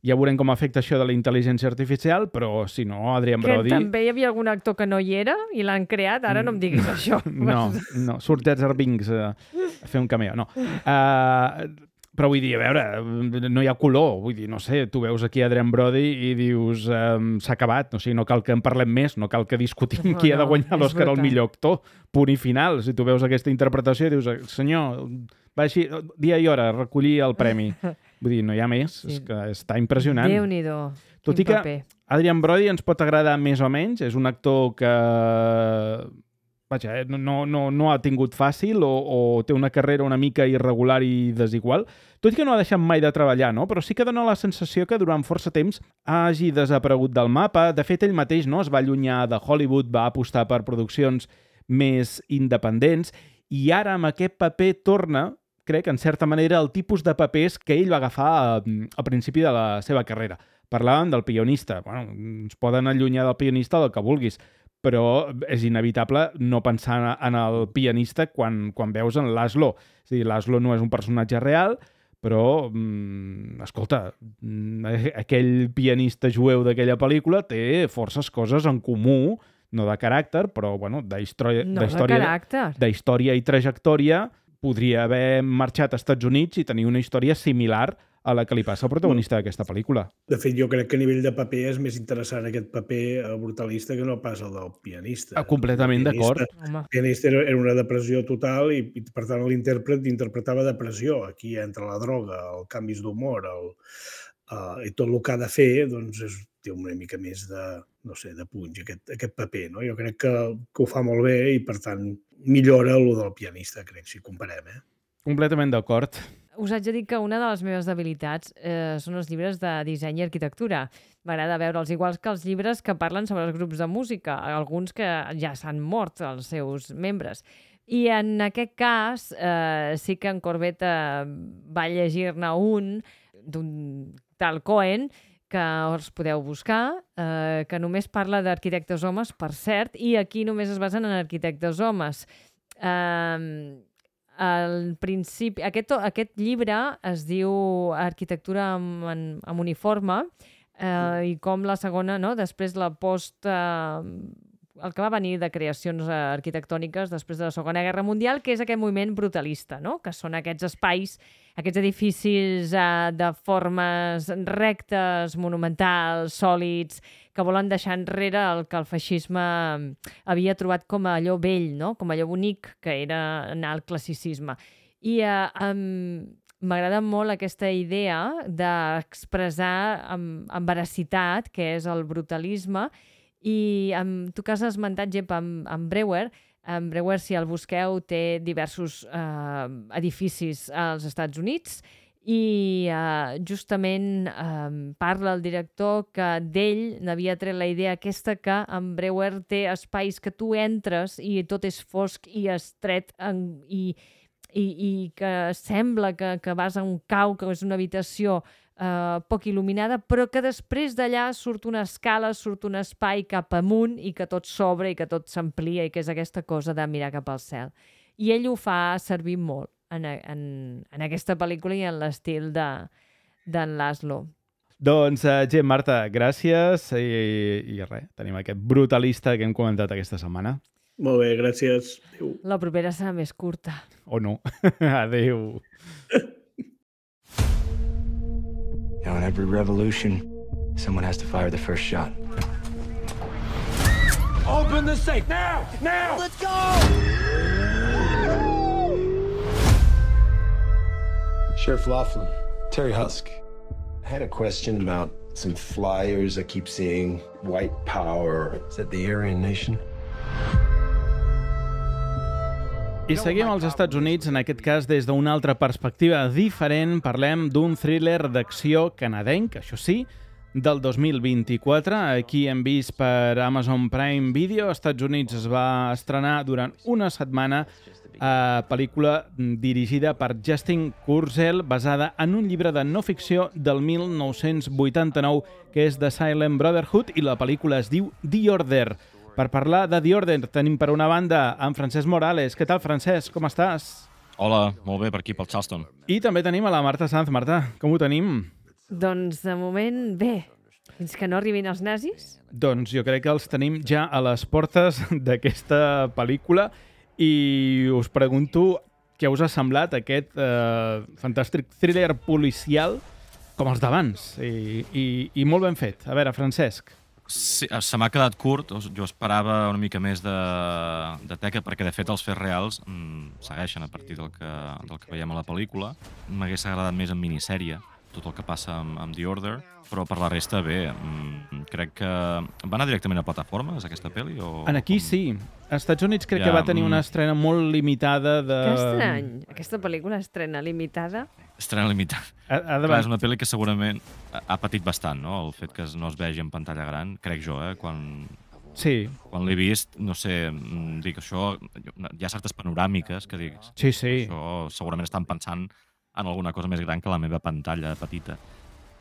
ja veurem com afecta això de la intel·ligència artificial, però si no, Adrian Que Brody... també hi havia algun actor que no hi era i l'han creat, ara no em diguis això. No, no, surt Jar Binks a, a fer un cameo, no. Uh, però vull dir, a veure, no hi ha color, vull dir, no sé, tu veus aquí Adrian Brody i dius, um, s'ha acabat, o sigui, no cal que en parlem més, no cal que discutim No, qui ha de no, guanyar és l'Òscar al brutal. millor actor, punt i final. Si tu veus aquesta interpretació i dius, senyor, va així, dia i hora, recollir el premi. Vull dir, no hi ha més, Sí. és que està impressionant. Déu-n'hi-do, Tot quin i que paper. Adrian Brody ens pot agradar més o menys, és un actor que vaja, eh, no, no, no ha tingut fàcil o, o té una carrera una mica irregular i desigual, tot i que no ha deixat mai de treballar, no? Però sí que dona la sensació que durant força temps hagi desaparegut del mapa. De fet, ell mateix no es va allunyar de Hollywood, va apostar per produccions més independents i ara amb aquest paper torna, crec, en certa manera, el tipus de papers que ell va agafar a, al principi de la seva carrera. Parlàvem del pianista. Bueno, ens poden allunyar del pianista del que vulguis, però és inevitable no pensar en el pianista quan, quan veus en Laszlo. És a dir, Laszlo no és un personatge real, però, mm, escolta, mm, aquell pianista jueu d'aquella pel·lícula té forces coses en comú, no de caràcter, però, bueno, d'història, No de d'història, caràcter. d'història i trajectòria, podria haver marxat als Estats Units i tenir una història similar a la que li passa al protagonista d'aquesta pel·lícula. De fet, jo crec que a nivell de paper és més interessant aquest paper eh, brutalista que no pas el del pianista. Ah, completament El pianista- d'acord. Home. El pianista era era una depressió total i, i per tant, l'intèrpret interpretava depressió. Aquí entra la droga, els canvis d'humor, el, uh, i tot el que ha de fer, doncs, és, té una mica més de, no sé, de punx, aquest, aquest paper, no? Jo crec que, que ho fa molt bé i, per tant, millora el del pianista, crec, si comparem, eh? Completament d'acord. Us haig de dir que una de les meves debilitats eh, són els llibres de disseny i arquitectura. M'agrada veure'ls, iguals que els llibres que parlen sobre els grups de música, alguns que ja s'han mort, els seus membres. I en aquest cas, eh, sí que en Corbett eh, va llegir-ne un d'un tal Cohen, que us podeu buscar, eh, que només parla d'arquitectes homes, per cert, i aquí només es basen en arquitectes homes. Eh, al principi, aquest, aquest llibre es diu Arquitectura amb, en, amb uniforme eh, i com la segona, no? Després la post... Eh, el que va venir de creacions eh, arquitectòniques després de la Segona Guerra Mundial, que és aquest moviment brutalista, no? Que són aquests espais, aquests edificis eh, de formes rectes, monumentals, sòlids, que volen deixar enrere el que el feixisme havia trobat com a allò vell, no? Com allò bonic que era anar al classicisme. I eh, um, m'agrada molt aquesta idea d'expressar amb, amb veracitat què és el brutalisme. I amb, tu que has esmentat, Gep, amb, amb Breuer, en Breuer, si el busqueu, té diversos eh, edificis als Estats Units i eh, justament eh, parla el director que d'ell n'havia tret la idea aquesta que en Breuer té espais que tu entres i tot és fosc i estret en, i, i, i que sembla que, que vas a un cau, que és una habitació Uh, poc il·luminada, però que després d'allà surt una escala, surt un espai cap amunt i que tot s'obre i que tot s'amplia i que és aquesta cosa de mirar cap al cel. I ell ho fa servir molt en, en, en aquesta pel·lícula i en l'estil de, d'en Laszlo. Doncs, uh, Gem, Marta, gràcies i, i res, tenim aquest brutalista que hem comentat aquesta setmana. Molt bé, gràcies. Adéu. La propera serà més curta. O no. Adéu. You know, in every revolution, someone has to fire the first shot. Open the safe now! Now! Let's go! Sheriff Laughlin, Terry Husk. I had a question about some flyers I keep seeing. White power. Is that the Aryan Nation? I seguim als Estats Units, en aquest cas des d'una altra perspectiva diferent. Parlem d'un thriller d'acció canadenc, això sí, del dos mil vint-i-quatre. Aquí hem vist per Amazon Prime Video. Als Estats Units es va estrenar durant una setmana a pel·lícula dirigida per Justin Kurzel, basada en un llibre de no ficció del mil nou-cents vuitanta-nou, que és The Silent Brotherhood, i la pel·lícula es diu The Order. Per parlar de The Order tenim per una banda en Francesc Morales. Què tal, Francesc? Com estàs? Hola, molt bé, per aquí, pel Charleston. I també tenim a la Marta Sanz. Marta, com ho tenim? Doncs de moment bé, fins que no arribin els nazis. Doncs jo crec que els tenim ja a les portes d'aquesta pel·lícula i us pregunto què us ha semblat aquest eh, fantàstic thriller policial com els d'abans i, i, i molt ben fet. A veure, Francesc. Sí, se m'ha quedat curt, jo esperava una mica més de, de teca, perquè de fet els fets reals mm, segueixen a partir del que, del que veiem a la pel·lícula. M'hagués agradat més en minissèrie tot el que passa amb, amb The Order, però per la resta bé. Mm, crec que va anar directament a plataformes, aquesta pel·li? O, en aquí com... sí. Als Estats Units crec ja, que va tenir una estrena molt limitada de... Que estrany. Aquesta pel·lícula estrena limitada. Estrena limitada. Ha, ha de... Clar, és una pel·li que segurament ha patit bastant, no? El fet que no es vegi en pantalla gran, crec jo, eh? Quan... Sí. Quan l'he vist, no sé, dic, això... Hi ha certes panoràmiques que dic... Sí, sí. Això segurament estan pensant en alguna cosa més gran que la meva pantalla petita.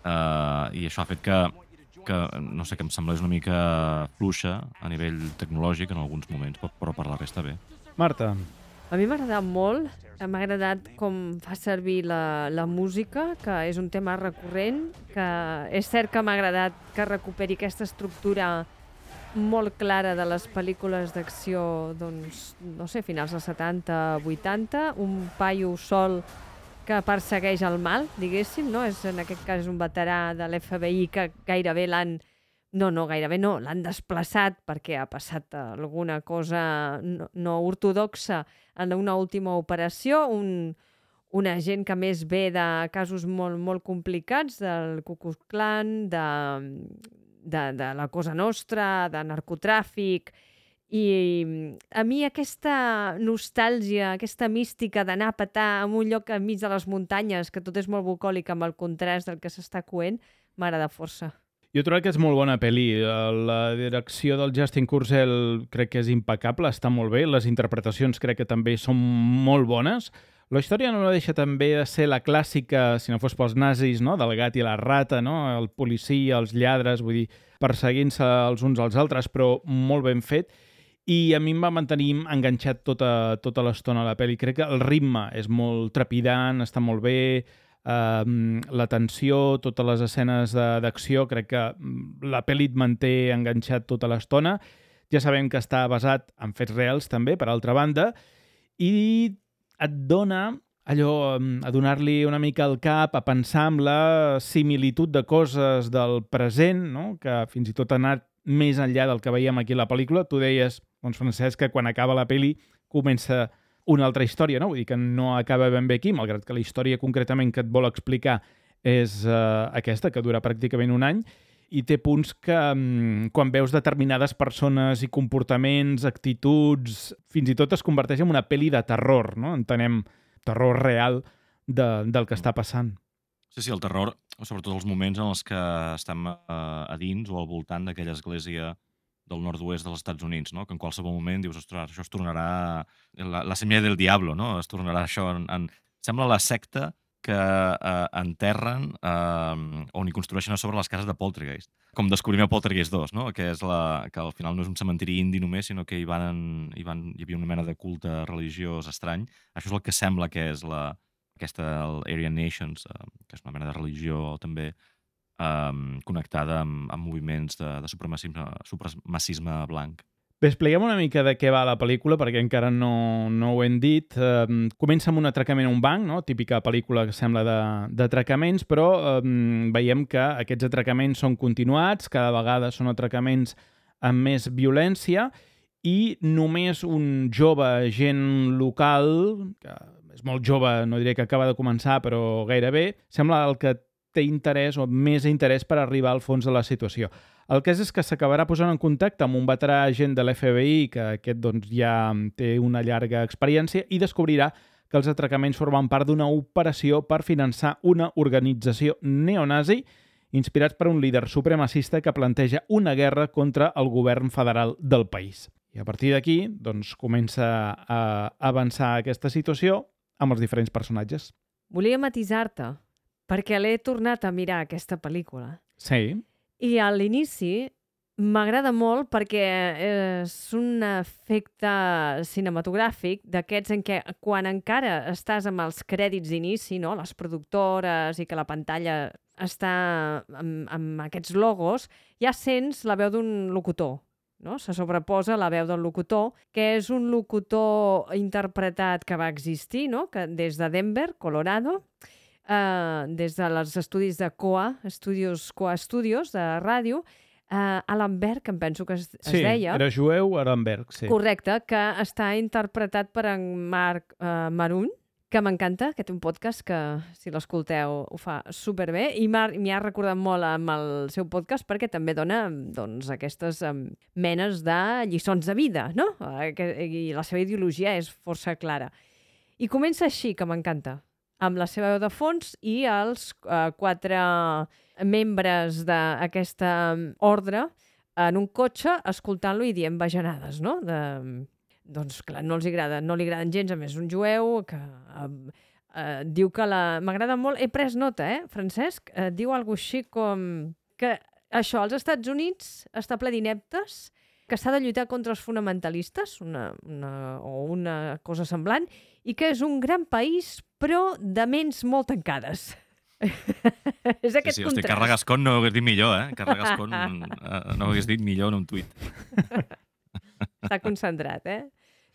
Uh, I això ha fet que, que, no sé, que em semblés una mica fluixa a nivell tecnològic en alguns moments, però, però per la resta bé. Marta. A mi m'ha agradat molt. M'ha agradat com fa servir la, la música, que és un tema recurrent, que és cert que m'ha agradat que recuperi aquesta estructura molt clara de les pel·lícules d'acció, doncs, no sé, finals dels setanta, vuitanta, un paio sol que persegueix el mal, diguéssim, no? És, en aquest cas és un veterà de l'F B I que gairebé l'han... No, no, gairebé no, l'han desplaçat perquè ha passat alguna cosa no, no ortodoxa en una última operació, un, un agent que més ve de casos molt, molt complicats, del Ku Klux Klan, de, de, de la Cosa Nostra, de narcotràfic. I a mi aquesta nostàlgia, aquesta mística d'anar a petar en un lloc enmig de les muntanyes, que tot és molt bucòlic amb el contrast del que s'està coent, m'agrada força. Jo trobo que és molt bona pel·li. La direcció del Justin Kurzel crec que és impecable, està molt bé. Les interpretacions crec que també són molt bones. La història no deixa també de ser la clàssica, si no fos pels nazis, no? Del gat i la rata, no? El policia, els lladres, vull dir, perseguint-se els uns als altres, però molt ben fet. I a mi em va mantenir enganxat tota, tota l'estona a la pel·li. Crec que el ritme és molt trepidant, està molt bé, eh, la tensió, totes les escenes d'acció, crec que la pel·li et manté enganxat tota l'estona. Ja sabem que està basat en fets reals també, per altra banda, i et dona allò, a donar-li una mica al cap, a pensar amb la similitud de coses del present, no? Que fins i tot ha anat més enllà del que veiem aquí a la pel·lícula. Tu deies, doncs, Francesc, que quan acaba la pel·li comença una altra història, no? Vull dir que no acaba ben bé aquí, malgrat que la història concretament que et vol explicar és uh, aquesta, que dura pràcticament un any, i té punts que um, quan veus determinades persones i comportaments, actituds, fins i tot es converteix en una pel·li de terror, no? Entenem terror real de, del que està passant. Sí, sí, el terror, sobretot els moments en els que estem eh, a dins o al voltant d'aquella església del nord-oest dels Estats Units, no? Que en qualsevol moment dius, ostres, això es tornarà la, la semilla del diablo, no? Es tornarà això en... en... Sembla la secta que eh, enterren eh, on hi construeixen a sobre les cases de Poltergeist. Com descobrim a Poltergeist dos, no? Que, és la, que al final no és un cementiri indi només, sinó que hi, van, hi, van, hi havia una mena de culte religiós estrany. Això és el que sembla que és la, aquesta Aryan Nations, eh, que és una mena de religió també eh, connectada amb, amb moviments de, de supremacisme, supremacisme blanc. Bé, expliquem una mica de què va la pel·lícula, perquè encara no, no ho hem dit. Uh, comença amb un atracament a un banc, no? Típica pel·lícula que sembla d'atracaments, però uh, veiem que aquests atracaments són continuats, cada vegada són atracaments amb més violència, i només un jove agent local, que és molt jove, no diré que acaba de començar, però gairebé, sembla el que té interès o més interès per arribar al fons de la situació. El cas és que s'acabarà posant en contacte amb un veterà agent de l'F B I, que aquest doncs, ja té una llarga experiència, i descobrirà que els atracaments formen part d'una operació per finançar una organització neonazi inspirats per un líder supremacista que planteja una guerra contra el govern federal del país. I a partir d'aquí, doncs, comença a avançar aquesta situació amb els diferents personatges. Volia matisar-te, perquè l'he tornat a mirar, aquesta pel·lícula. Sí. I a l'inici m'agrada molt perquè és un efecte cinematogràfic d'aquests en què quan encara estàs amb els crèdits d'inici, no? Les productores i que la pantalla està amb, amb aquests logos, ja sents la veu d'un locutor. No? Se sobreposa la veu del locutor, que és un locutor interpretat que va existir, no? Que des de Denver, Colorado, eh, des dels estudis de C O A, Studios, C O A Studios, de ràdio, eh, Alan Berg, em penso que es, es sí, deia. Sí, era jueu, Alan Berg, sí. Correcte, que està interpretat per en Marc eh, Maroon, que m'encanta, que té un podcast que, si l'escolteu, ho fa superbé, i m'hi ha recordat molt amb el seu podcast perquè també dona doncs, aquestes um, menes de lliçons de vida, no? I la seva ideologia és força clara. I comença així, que m'encanta, amb la seva veu de fons i els uh, quatre membres d'aquesta ordre en un cotxe escoltant-lo i dient bajanades, no? De... Doncs clar, no els agrada, no li agraden gens, a més un jueu que eh, eh, diu que la... M'agrada molt, he pres nota, eh, Francesc? Eh, diu alguna cosa així com que això, als Estats Units està ple d'ineptes, que s'ha de lluitar contra els fonamentalistes, una, una, o una cosa semblant, i que és un gran país, però de ments molt tancades. És aquest sí, sí, contrast. Hosti, Carla Gascon no ho hagués dit millor, eh? Carla Gascon eh, no ho hagués dit millor en un tuit. Està concentrat, eh?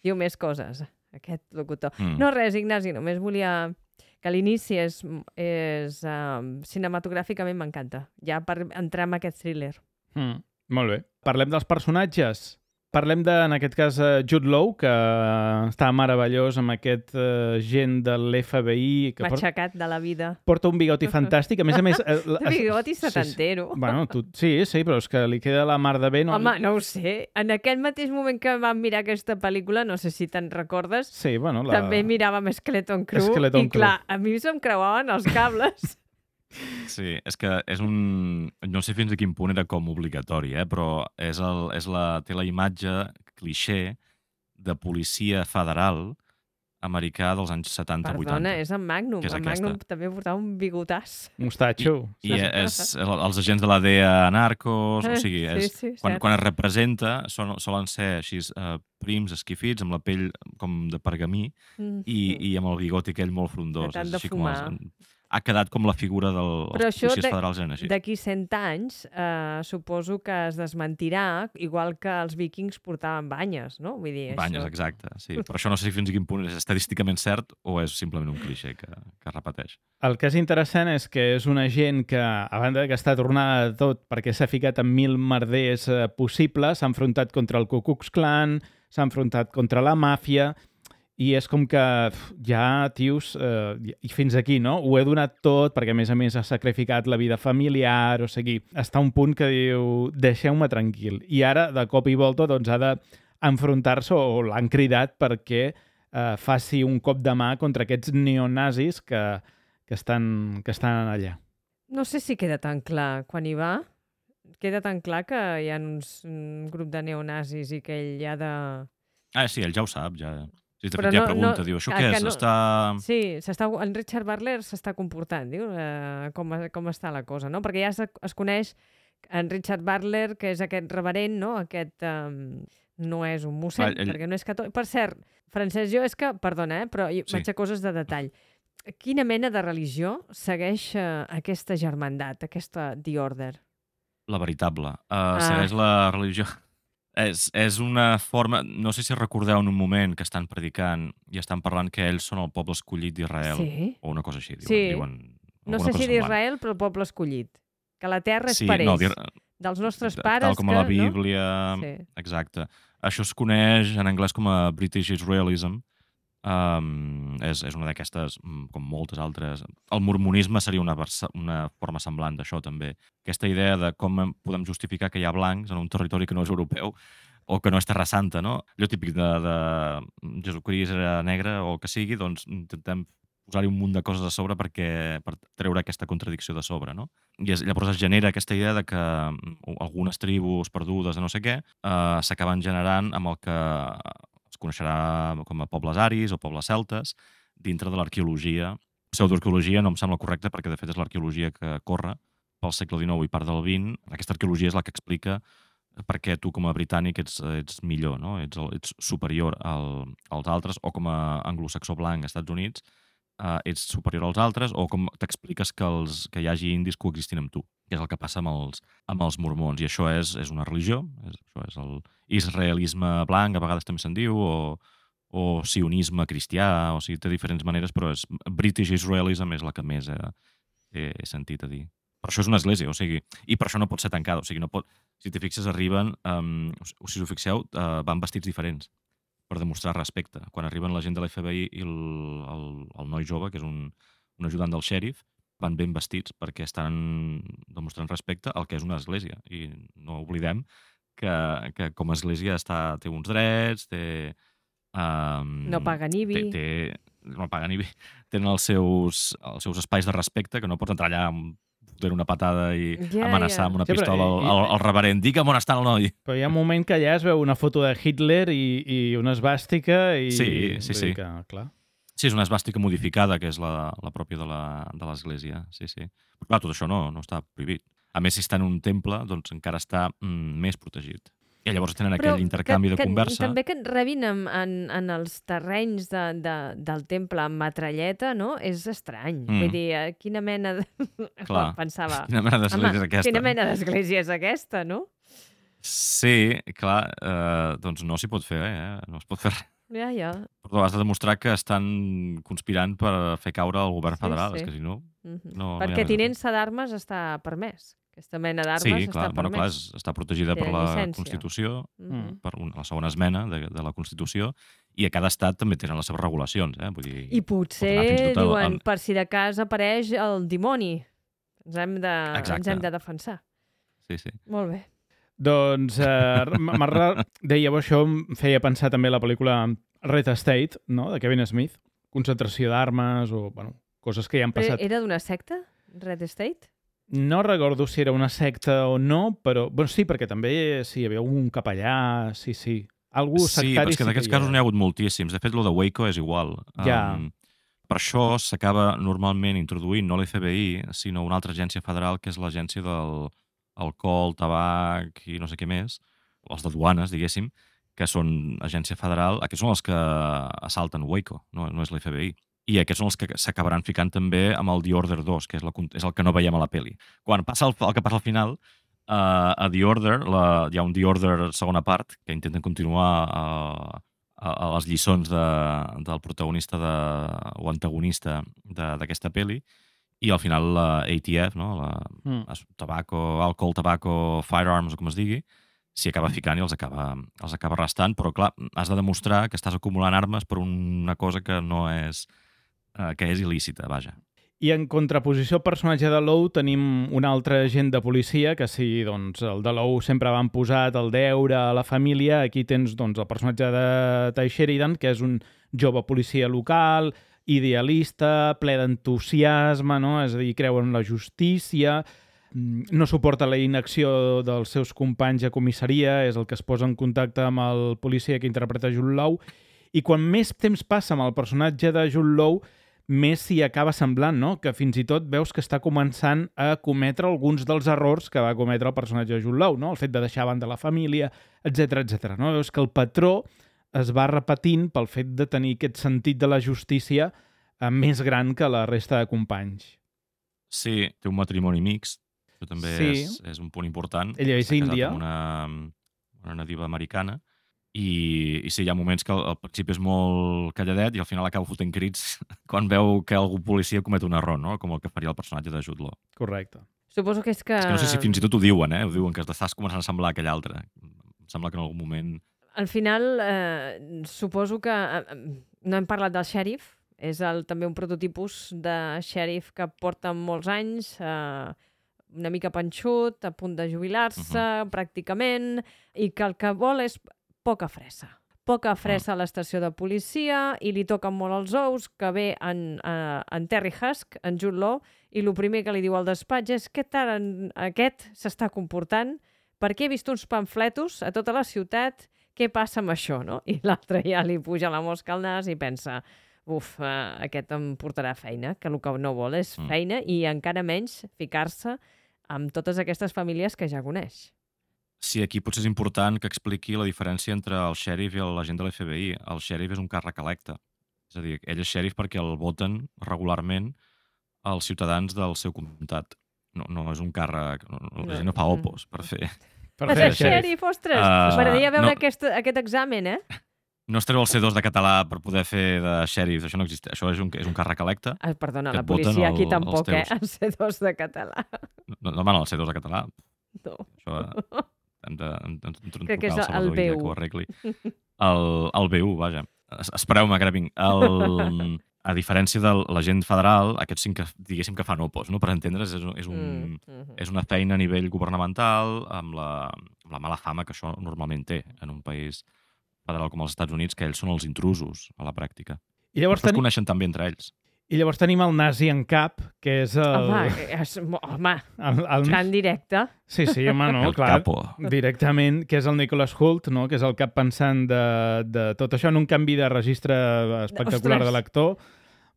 Diu més coses, aquest locutor. Mm. No res, Ignasi, només volia... que l'inici és, és um, cinematogràficament m'encanta. Ja per entrar en aquest thriller. Mm, molt bé. Parlem dels personatges. Parlem de, en aquest cas, Jude Law, que està meravellós amb aquest uh, gent de l'F B I... Que Matxacat de la vida. Porta un bigoti fantàstic. A més a més... Eh, bigoti setantero. Sí, sí. Bueno, tu, sí, sí, però és que li queda la mar de bé. No... Home, no ho sé. En aquell mateix moment que vam mirar aquesta pel·lícula, no sé si te'n recordes, sí, bueno, la... també miràvem Skeleton Crew Skeleton i clar, a mi se'm creuaven els cables. Sí, és que és un... No sé fins a quin punt era com obligatori, eh? Però és el, és la, té la imatge cliché de policia federal americà dels anys setanta vuitanta. Perdona, és en Magnum. És en Magnum també portava un bigotàs. Mostatxo. I, i és els agents de la D E A narcos, o sigui, és, sí, sí, quan, quan es representa són, solen ser així uh, prims, esquifits, amb la pell com de pergamí mm. i, i amb el bigoti aquell molt frondós. De tant de així fumar. Com els, ha quedat com la figura dels policies federals en així. D'aquí cent anys, eh, suposo que es desmentirà, igual que els vikings portaven banyes, no? Vull dir, banyes, això... exacte. Sí. Per això no sé fins a quin punt és estadísticament cert o és simplement un cliché que, que es repeteix. El que és interessant és que és una gent que, a banda que està tornada de tot perquè s'ha ficat en mil merders eh, possibles, s'ha enfrontat contra el Ku Klux Klan, s'ha enfrontat contra la màfia... I és com que ja, tios, eh, i fins aquí, no? Ho he donat tot perquè, a més a més, ha sacrificat la vida familiar, o sigui, està a un punt que diu, deixeu-me tranquil. I ara, de cop i volta, doncs, ha d'enfrontar-se, o l'han cridat perquè eh, faci un cop de mà contra aquests neonazis que, que, estan, que estan allà. No sé si queda tan clar quan hi va. Queda tan clar que hi ha uns, un grup de neonazis i que ell ha de... Ah, sí, ell ja ho sap, ja... Sí, de Però fet, ja no, pregunta, no, diu, això què és? No, està... Sí, s'està, en Richard Butler s'està comportant, diu, eh, com, com està la cosa, no? Perquè ja es, es coneix en Richard Butler, que és aquest reverent, no? Aquest, um, no és un mossèn, ell... perquè no és catòlic. Per cert, Francesc, jo és que, perdona, eh, però sí. Vaig a coses de detall. Quina mena de religió segueix eh, aquesta germandat, aquesta The Order? La veritable. Uh, ah. Segueix la religió... És, és una forma... No sé si recordeu en un moment que estan predicant i estan parlant que ells són el poble escollit d'Israel. Sí. O una cosa així. Diuen, sí. diuen no sé si d'Israel, però el poble escollit. Que la terra és sí, per ells. No, dels nostres pares. Tal com que, a la Bíblia. No? Sí. Exacte. Això es coneix en anglès com a British Israelism. Um, és, és una d'aquestes, com moltes altres... El mormonisme seria una, una forma semblant d'això, també. Aquesta idea de com podem justificar que hi ha blancs en un territori que no és europeu o que no és Terra Santa, no? Allò típic de, de Jesucrist era negre o el que sigui, doncs intentem posar-hi un munt de coses a sobre perquè, per treure aquesta contradicció de sobre, no? I es, llavors es genera aquesta idea de que algunes tribus perdudes de no sé què eh, s'acaben generant amb el que es coneixerà com a pobles aris o pobles celtes dintre de l'arqueologia. Pseudoarqueologia no em sembla correcte perquè de fet és l'arqueologia que corre pel segle dinou i part del vint. Aquesta arqueologia és la que explica per què tu com a britànic ets, ets millor, no? ets, ets superior al, als altres, o com a anglosaxó blanc als Estats Units eh, ets superior als altres, o com t'expliques que, els, que hi hagi indis coexistint amb tu, que és el que passa amb els, amb els mormons. I això és, és una religió, és, això és el israelisme blanc, a vegades també se'n diu, o, o sionisme cristià, o sigui, té diferents maneres, però és, British Israelism és la que més he, he, he sentit a dir. Per això és una església, o sigui, i per això no pot ser tancada, o sigui, no pot, si t'hi fixes, arriben, um, o si us ho fixeu, uh, van vestits diferents per demostrar respecte. Quan arriben la gent de l'F B I i el, el, el noi jove, que és un, un ajudant del xèrif, van ben vestits perquè estan demostrant respecte al que és una església. I no oblidem que, que com a església està, té uns drets, té... Um, no paga ni vi. Té, té, no paga ni vi. Tenen els seus, els seus espais de respecte, que no pots entrar allà amb fotre una patada i Ja, amenaçar ja. amb una Sí, però pistola i- al, al, al reverend. Dic on està el noi. Però hi ha un moment que allà es veu una foto de Hitler i, i una esvàstica i... Sí, sí, vull sí. dir Que, clar. Sí, és una esvàstica modificada, que és la, la pròpia de la- de l'església. Sí, sí. Però clar, tot això no, no està prohibit. A més, si està en un temple, doncs encara està mm, més protegit. I llavors tenen Però aquell intercanvi que, de que, conversa. També que et rebin en, en, en els terrenys de, de, del temple amb metralleta, no? És estrany. Mm. Vull dir, eh, quina mena de... Clar. Pensava... Quina mena d'església és aquesta? Quina mena d'església és aquesta, no? Sí, clar, eh, doncs no s'hi pot fer, eh? No es pot fer res. Ja, ja. Però has de demostrar que estan conspirant per fer caure el govern Sí, federal, sí. és que si no... Mhm. No, no hi ha Perquè res a fer. tinença d'armes està permès. Aquesta mena d'armes Sí, està clar, bueno, clar, permès. és, està protegida Té per la llicència. Constitució, Mhm. per una, la segona esmena de, de la Constitució, i a cada estat també tenen les seves regulacions, eh? Vull dir, I potser pot anar fins i tot al- diuen, al- per si de cas apareix el dimoni. Ens hem de, ens Exacte. hem de defensar. Sí, sí. Molt bé. Doncs, eh, Marra, dèieu això, em feia pensar també la pel·lícula Red State, no?, de Kevin Smith. Concentració d'armes o, bueno, coses que ja han Però passat. era d'una secta? Red State? No recordo si era una secta o no, però... Bueno, sí, perquè també sí, hi havia un capellà, sí, sí. Algú Sí, però sectari és que d'aquests casos n'hi ha hagut moltíssims. De fet, lo de Waco és igual. Ja. Um, per això s'acaba normalment introduint no l'F B I, sinó una altra agència federal, que és l'agència del alcohol, tabac i no sé què més, els de duanes, diguéssim, que són agència federal. Aquests són els que assalten Waco, no, no és l'F B I. I aquests són els que s'acabaran ficant també amb el The Order dos, que és, la, és el que no veiem a la peli. Quan passa el, el que passa al final, uh, a The Order, la, hi ha un The Order segona part, que intenten continuar uh, a, a les lliçons de, del protagonista de, o antagonista d'aquesta peli, i al final la A T F, no? la, Mm. tabaco, alcohol, tabaco, firearms, o com es digui, s'hi acaba ficant i els acaba, els acaba arrestant, però clar, has de demostrar que estàs acumulant armes per una cosa que no és, eh, que és il·lícita, vaja. I en contraposició al personatge de Lou tenim un altre agent de policia que si doncs, el de Lou sempre van posat el deure a la família, aquí tens doncs, el personatge de Ty Sheridan, que és un jove policia local, idealista, ple d'entusiasme, no? És a dir, creu en la justícia, no suporta la inacció dels seus companys a comissaria, és el que es posa en contacte amb el policia que interpreta Jude Law, i quan més temps passa amb el personatge de Jude Law, més s'hi acaba semblant, no? Que fins i tot veus que està començant a cometre alguns dels errors que va cometre el personatge de Jude Law, no? El fet de deixar a banda la família, etcètera, etcètera. No? Veus que el patró es va repetint pel fet de tenir aquest sentit de la justícia eh, més gran que la resta de companys. Sí, té un matrimoni mixt, això també Sí. és, és un punt important. Ella és Està casat índia. amb una, una nadiva americana, i, i sí, hi ha moments que al, al principi és molt calladet i al final acaba fotent crits quan veu que algú policia comet un error, no? Com el que faria el personatge de Jude Law. Correcte. Suposo que és que... És que no sé si fins i tot ho diuen, eh? Ho diuen, que t'estàs començant a semblar aquell altre. Em sembla que en algun moment... Al final, eh, suposo que... Eh, no hem parlat del xèrif, és el, també un prototipus de xèrif que porta molts anys, eh, una mica panxut, a punt de jubilar-se, uh -huh. pràcticament, i que el que vol és poca fressa. poca fressa a l'estació de policia i li toquen molt els ous, que ve en, uh, en Terry Husk, en Jude Law, i el primer que li diu al despatx és què tal en, aquest s'està comportant, perquè he vist uns pamfletos a tota la ciutat, què passa amb això, no? I l'altre ja li puja la mosca al nas i pensa, uf, uh, aquest em portarà feina, que el que no vol és feina i encara menys ficar-se amb totes aquestes famílies que ja coneix. Sí, aquí potser és important que expliqui la diferència entre el xèrif i l'agent de l'F B I. El xèrif és un càrrec electe. És a dir, ell és xèrif perquè el voten regularment els ciutadans del seu comtat. No, no és un càrrec... No, la gent no fa opos per fer... Per fer xèrif, ostres! Uh, M'agradaria veure no, aquest, aquest examen, eh? No es treu el C dos de català per poder fer de xèrif. Això no existeix. Això és un, és un càrrec electe. Ah, perdona, la policia aquí el, tampoc, eh? El C dos de català. No, no van al C dos de català. No. Això... Hem de, hem de, hem de crec que és el, el B U. Que ho arregli. El, el B U, vaja. Espereu-me que ara vinc. El, a diferència de l'agent federal, aquests sí que, diguéssim que fan opos, no? Per entendre's, és, és, un, mm -hmm. és una feina a nivell governamental amb la, amb la mala fama que això normalment té en un país federal com els Estats Units, que ells són els intrusos a la pràctica. I llavors tenim... es coneixen també entre ells. I llavors tenim el nazi en cap, que és el... Home, és, home el, el... tan directe. Sí, sí, home, no, el clar, capo. Directament, que és el Nicholas Hoult, no? Que és el cap pensant de, de tot això en un canvi de registre espectacular Ostres. de l'actor.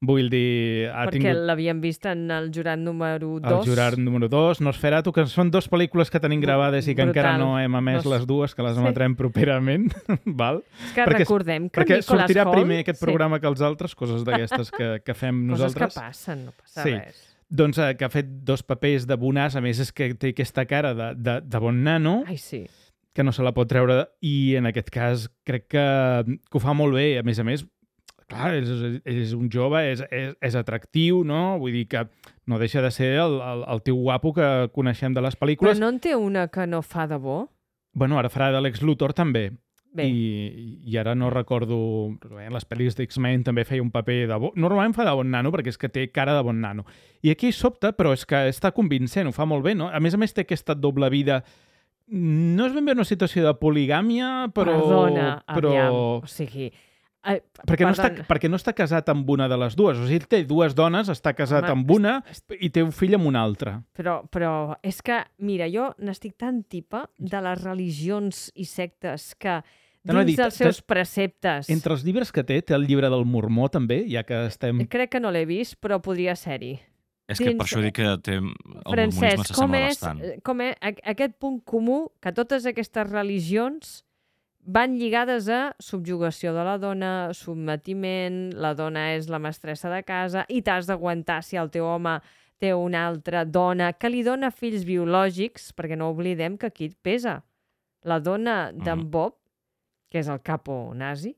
Vull dir... Ha Perquè tingut... l'havíem vist en el jurat número dos. El jurat número dos, Nosferatu, que són dues pel·lícules que tenim gravades i que Brutal. encara no hem emès les dues, que les emetrem sí. properament. Val? És que perquè, recordem que perquè Nicholas sortirà Hoult... primer aquest programa sí. que els altres, coses d'aquestes que, que fem coses nosaltres. Coses que passen, no passa sí. res. Doncs eh, que ha fet dos papers de bonàs, a més és que té aquesta cara de, de, de bon nano. Ai, sí. Que no se la pot treure, i en aquest cas crec que, que ho fa molt bé. A més a més, clar, ell és, ell és un jove, és, és, és atractiu, no? Vull dir que no deixa de ser el, el, el tio guapo que coneixem de les pel·lícules. Però no en té una que no fa de bo? Bueno, ara farà d'Alex Luthor també. Bé. I, I ara no recordo... En les pel·lis d'X-Men també feia un paper de bo... Normalment fa de bon nano, perquè és que té cara de bon nano. I aquí sobta, però és que està convincent, ho fa molt bé, no? A més a més té aquesta doble vida... No és ben bé una situació de poligàmia, però... Perdona, però... aviam, o sigui... Ai, perquè, no està, perquè no està casat amb una de les dues. O sigui, ell té dues dones, està casat Home, amb una i té un fill amb una altra. Però, però és que, mira, jo n'estic tan tipa de les religions i sectes que dins dit, dels seus preceptes... Entre els llibres que té, té el llibre del Mormó també, ja que estem... Crec que no l'he vist, però podria ser-hi. És que dins... per això dic que té... el Francesc, mormonisme s'assembla bastant. Com és aquest punt comú que totes aquestes religions van lligades a subjugació de la dona, sotmetiment, la dona és la mestressa de casa i t'has d'aguantar si el teu home té una altra dona que li dona fills biològics, perquè no oblidem que aquí pesa. La dona d'en Bob, que és el capo nazi,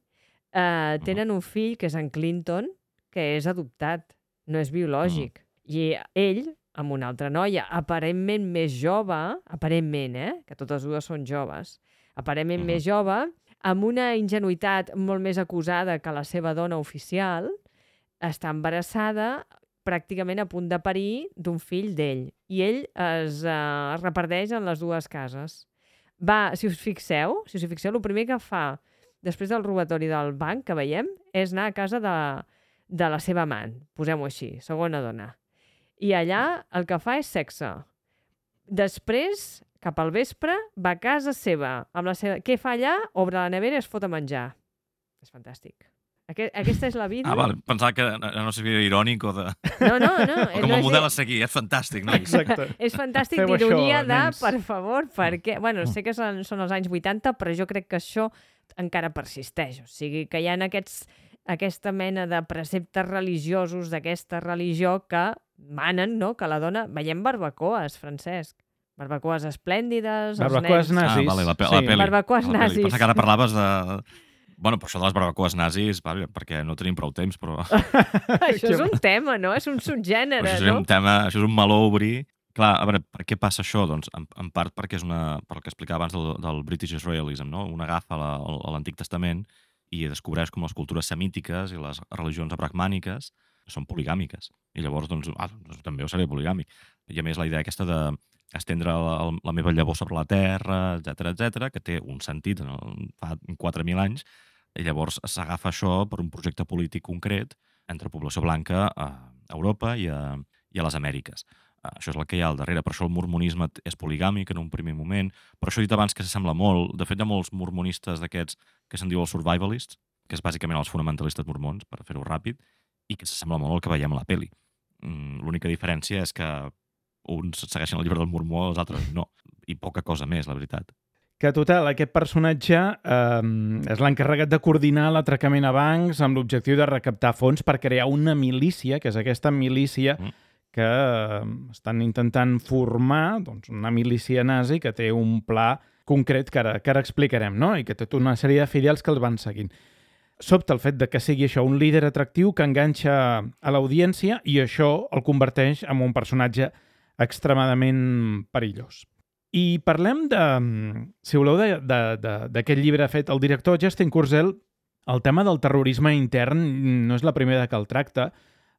eh, tenen un fill que és en Clinton, que és adoptat, no és biològic. I ell, amb una altra noia, aparentment més jove, aparentment, eh? que totes dues són joves, aparentment uh-huh. més jove, amb una ingenuïtat molt més acusada que la seva dona oficial, està embarassada, pràcticament a punt de parir d'un fill d'ell. I ell es uh, reparteix en les dues cases. Va, si us fixeu, si us fixeu, el primer que fa després del robatori del banc que veiem és anar a casa de, de la seva amant, posem-ho així, segona dona. I allà el que fa és sexe. Després, cap al vespre, va a casa seva. Amb la seva... Què fa allà? Obre la nevera i es fot a menjar. És fantàstic. Aquest, aquesta és la vida. Ah, val. Pensava que no seria irònic o de... No, no, no. O com a no model és... a seguir. És fantàstic, no? Exacte. És fantàstic d'ironia de, nens. Per favor, perquè... Bueno, sé que són, són els anys vuitanta, però jo crec que això encara persisteix. O sigui, que hi ha aquests, aquesta mena de preceptes religiosos d'aquesta religió que manen, no?, que la dona... Veiem barbacoes, Francesc. Barbacoes esplèndides, barbacoes els nens... nazis. Ah, vale, la, pe sí. la peli. Barbacoes la nazis. Peli. Pensa que ara parlaves de... Bueno, però això de les barbacoes nazis, vale, perquè no tenim prou temps, però... Això és un tema, no? És un subgènere, això és no? Un tema, això és un meló a obrir. Clar, a veure, per què passa això? Doncs, en, en part perquè és una... Per el que explicava abans del, del British Israelism, no? Un agafa la, a l'Antic Testament i descobreix com les cultures semítiques i les religions abrahmàniques són poligàmiques. I llavors, doncs, ah, doncs també ho seré poligàmic. I a més, la idea aquesta de estendre la, la meva llavor sobre la terra, etcètera, etcètera, que té un sentit en el, fa quatre mil anys, I llavors s'agafa això per un projecte polític concret entre població blanca a Europa i a, i a les Amèriques. Això és el que hi ha al darrere. Per això el mormonisme és poligàmic en un primer moment. Per això he dit abans que s'assembla molt. De fet, hi ha molts mormonistes d'aquests que se'n diu els survivalists, que és bàsicament els fonamentalistes mormons, per fer-ho ràpid, i que s'assembla molt al que veiem a la peli. L'única diferència és que uns segueixen el llibre del mormó, els altres no. I poca cosa més, la veritat. Que, total, aquest personatge eh, és l'encarregat de coordinar l'atracament a bancs amb l'objectiu de recaptar fons per crear una milícia, que és aquesta milícia mm. que eh, estan intentant formar, doncs, una milícia nazi que té un pla concret que ara, que ara explicarem, no? I que té tota una sèrie de fidels que els van seguint. Sobta el fet de que sigui això un líder atractiu que enganxa a l'audiència i això el converteix en un personatge extremadament perillós. I parlem de, si voleu, d'aquest llibre fet el director Justin Kurzel. El tema del terrorisme intern no és la primera que el tracta.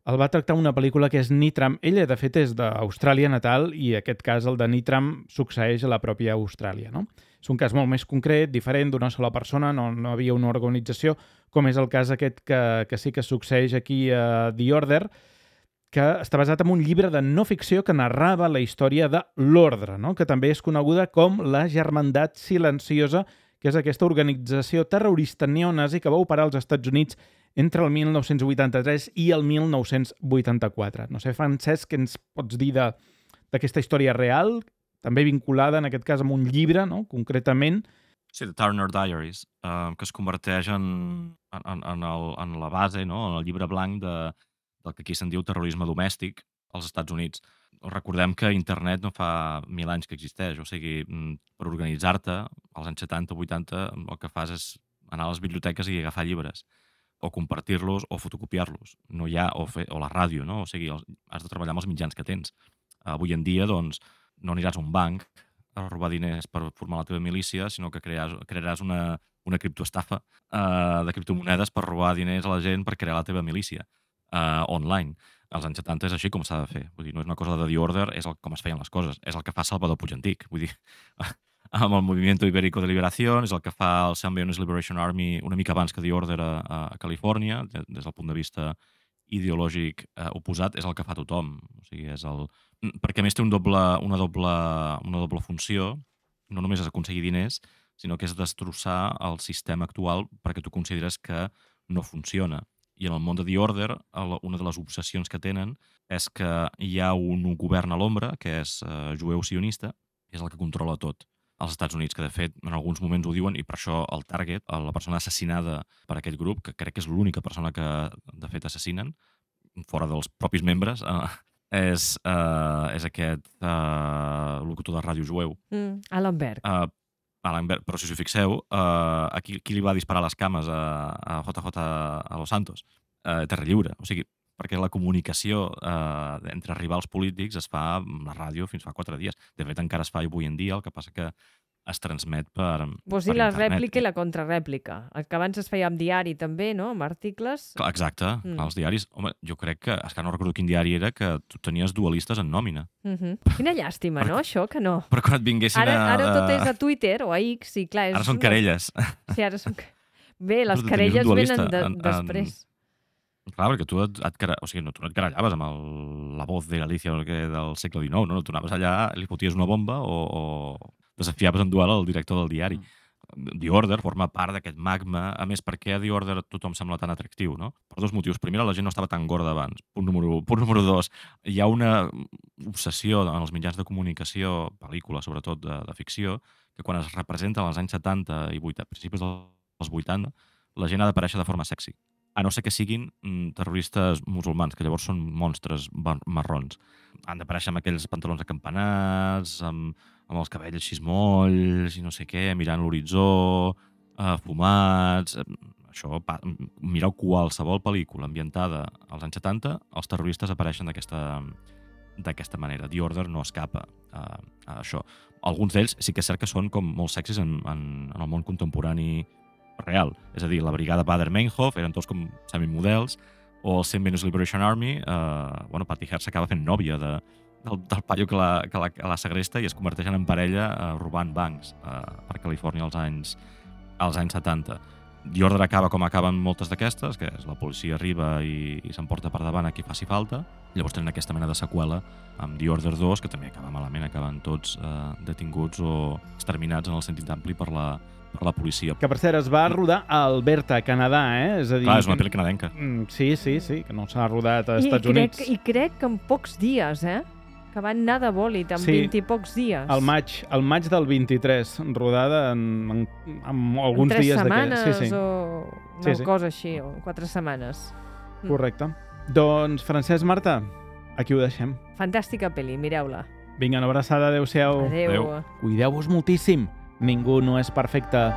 El va tractar una pel·lícula que és Nitram. Ella, de fet, és d'Austràlia natal i aquest cas, el de Nitram, succeeix a la pròpia Austràlia, no? És un cas molt més concret, diferent, d'una sola persona, no, no havia una organització, com és el cas aquest que, que sí que succeeix aquí a The Order, que està basat en un llibre de no ficció que narrava la història de l'Ordre, no? Que també és coneguda com la Germandat Silenciosa, que és aquesta organització terrorista neonazi que va operar als Estats Units entre el mil nou-cents vuitanta-tres i el mil nou-cents vuitanta-quatre. No sé, Francesc, què ens pots dir d'aquesta història real, també vinculada, en aquest cas, amb un llibre, no? Concretament? Sí, The Turner Diaries, eh, que es converteix en, en, en, el, en la base, no? En el llibre blanc de, del que aquí se'n diu terrorisme domèstic als Estats Units. Recordem que internet no fa mil anys que existeix, o sigui, per organitzar-te, als anys setanta o vuitanta, el que fas és anar a les biblioteques i agafar llibres, o compartir-los o fotocopiar-los. No hi ha, o, fer, o la ràdio, no? O sigui, has de treballar amb els mitjans que tens. Avui en dia, doncs, no aniràs a un banc a robar diners per formar la teva milícia, sinó que crearàs, crearàs una, una criptoestafa uh, de criptomonedes per robar diners a la gent per crear la teva milícia uh, online. Als anys setanta és així com s'ha de fer. Vull dir, no és una cosa de The Order, és el, com es feien les coses. És el que fa Salvador Puig Antic. Vull dir, amb el Movimiento Ibérico de Liberación, és el que fa el San Leones Liberation Army una mica abans que The Order a, a Califòrnia, des del punt de vista ideològic eh, oposat, és el que fa tothom. O sigui, és el... Perquè a més té un doble, una, doble, una doble funció, no només és aconseguir diners, sinó que és destrossar el sistema actual perquè tu consideres que no funciona. I en el món de The Order, una de les obsessions que tenen és que hi ha un govern a l'ombra, que és eh, jueu sionista, és el que controla tot als Estats Units, que de fet en alguns moments ho diuen, i per això el target, la persona assassinada per aquest grup, que crec que és l'única persona que de fet assassinen, fora dels propis membres, eh, és, eh, és aquest eh, locutor de ràdio jueu. Mm, Alan Berg. Uh, Alan Berg. Però si us hi fixeu, uh, aquí qui li va disparar les cames a, a J J a Los Santos? Uh, Terra Lliure. O sigui, perquè la comunicació eh, entre rivals polítics es fa amb la ràdio fins fa quatre dies. De fet, encara es fa avui en dia, el que passa que es transmet per, Vols per dir la internet. rèplica i la contrarèplica. El que abans es feia amb diari també, no? Amb articles. Clar, exacte, Mm. els diaris. Home, jo crec que, és que no recordo quin diari era, que tu tenies dualistes en nòmina. Mhm. Quina llàstima, no? Això, que no. Però quan et vinguessin Ara, a... ara tot és a Twitter o a X, i clar... És Ara són una- querelles. Sí, ara són... Bé, les Però tu tenies un querelles dualista venen de, en- en- després. Clar, perquè tu et, et, quere- o sigui, no, tu no et querellaves amb el, la voz de Galicia o el que, del segle dinou, no? Tu anaves allà, li foties una bomba o, o desafiaves en duel al director del diari. The Order forma part d'aquest magma. A més, per què a The Order tothom sembla tan atractiu, no? Per dos motius. Primer, la gent no estava tan gorda abans. Punt número, punt número dos. Hi ha una obsessió en els mitjans de comunicació, pel·lícules, sobretot de, de ficció, que quan es representa als anys setanta i vuitanta, principis dels vuitanta, la gent ha d'aparèixer de forma sexy. A no ser que siguin mm, terroristes musulmans, que llavors són monstres bar- marrons. Han d'aparèixer amb aquells pantalons acampanats, amb, amb els cabells així molls i no sé què, mirant l'horitzó, eh, fumats... eh, Això, pa, mireu qualsevol pel·lícula ambientada als anys setanta, els terroristes apareixen d'aquesta d'aquesta manera. The Order no escapa a, a això. Alguns d'ells sí que és cert que són com molt sexis en, en, en el món contemporani real. És a dir, la brigada Bader-Meinhof eren tots com semimodels, o el Saint Venus Liberation Army, eh, bueno, Patty Hearst s'acaba fent nòvia de, del, del paio que la, que, la, que la segresta i es converteixen en parella eh, robant bancs eh, per Califòrnia als anys, als anys setanta. The Order acaba com acaben moltes d'aquestes, que és la policia arriba i, i s'emporta per davant a qui faci falta. Llavors tenen aquesta mena de seqüela amb The Order dos, que també acaba malament, acaben tots eh, detinguts o exterminats en el sentit ampli per la, per la policia. Que, per cert, es va rodar a Alberta, Canadà, eh? És a dir... Clar, és una pel·li canadenca. Sí, sí, sí, que no s'ha rodat a I Estats crec, Units. I crec que en pocs dies, eh? Que van anar de bòlit, en Sí. vint i pocs dies. Al maig, al maig del vint-i-tres, rodada en, en, en alguns en tres dies setmanes d'aquells. Sí, sí. o una Sí, sí. cosa així, o quatre setmanes. Mm. Correcte. Doncs, Francesc, Marta, aquí ho deixem. Fantàstica pel·li, mireu-la. Vinga, una abraçada, adeu-siau. Adéu. Adéu. Cuideu-vos moltíssim. Ningú no és perfecte.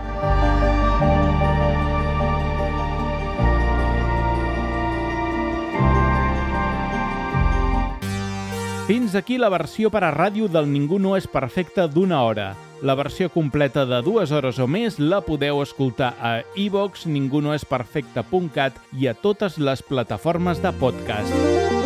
Fins aquí la versió per a ràdio del Ningú no és perfecte d'una hora. La versió completa de dues hores o més la podeu escoltar a iVox, ningunoesperfecte punt cat i a totes les plataformes de podcast.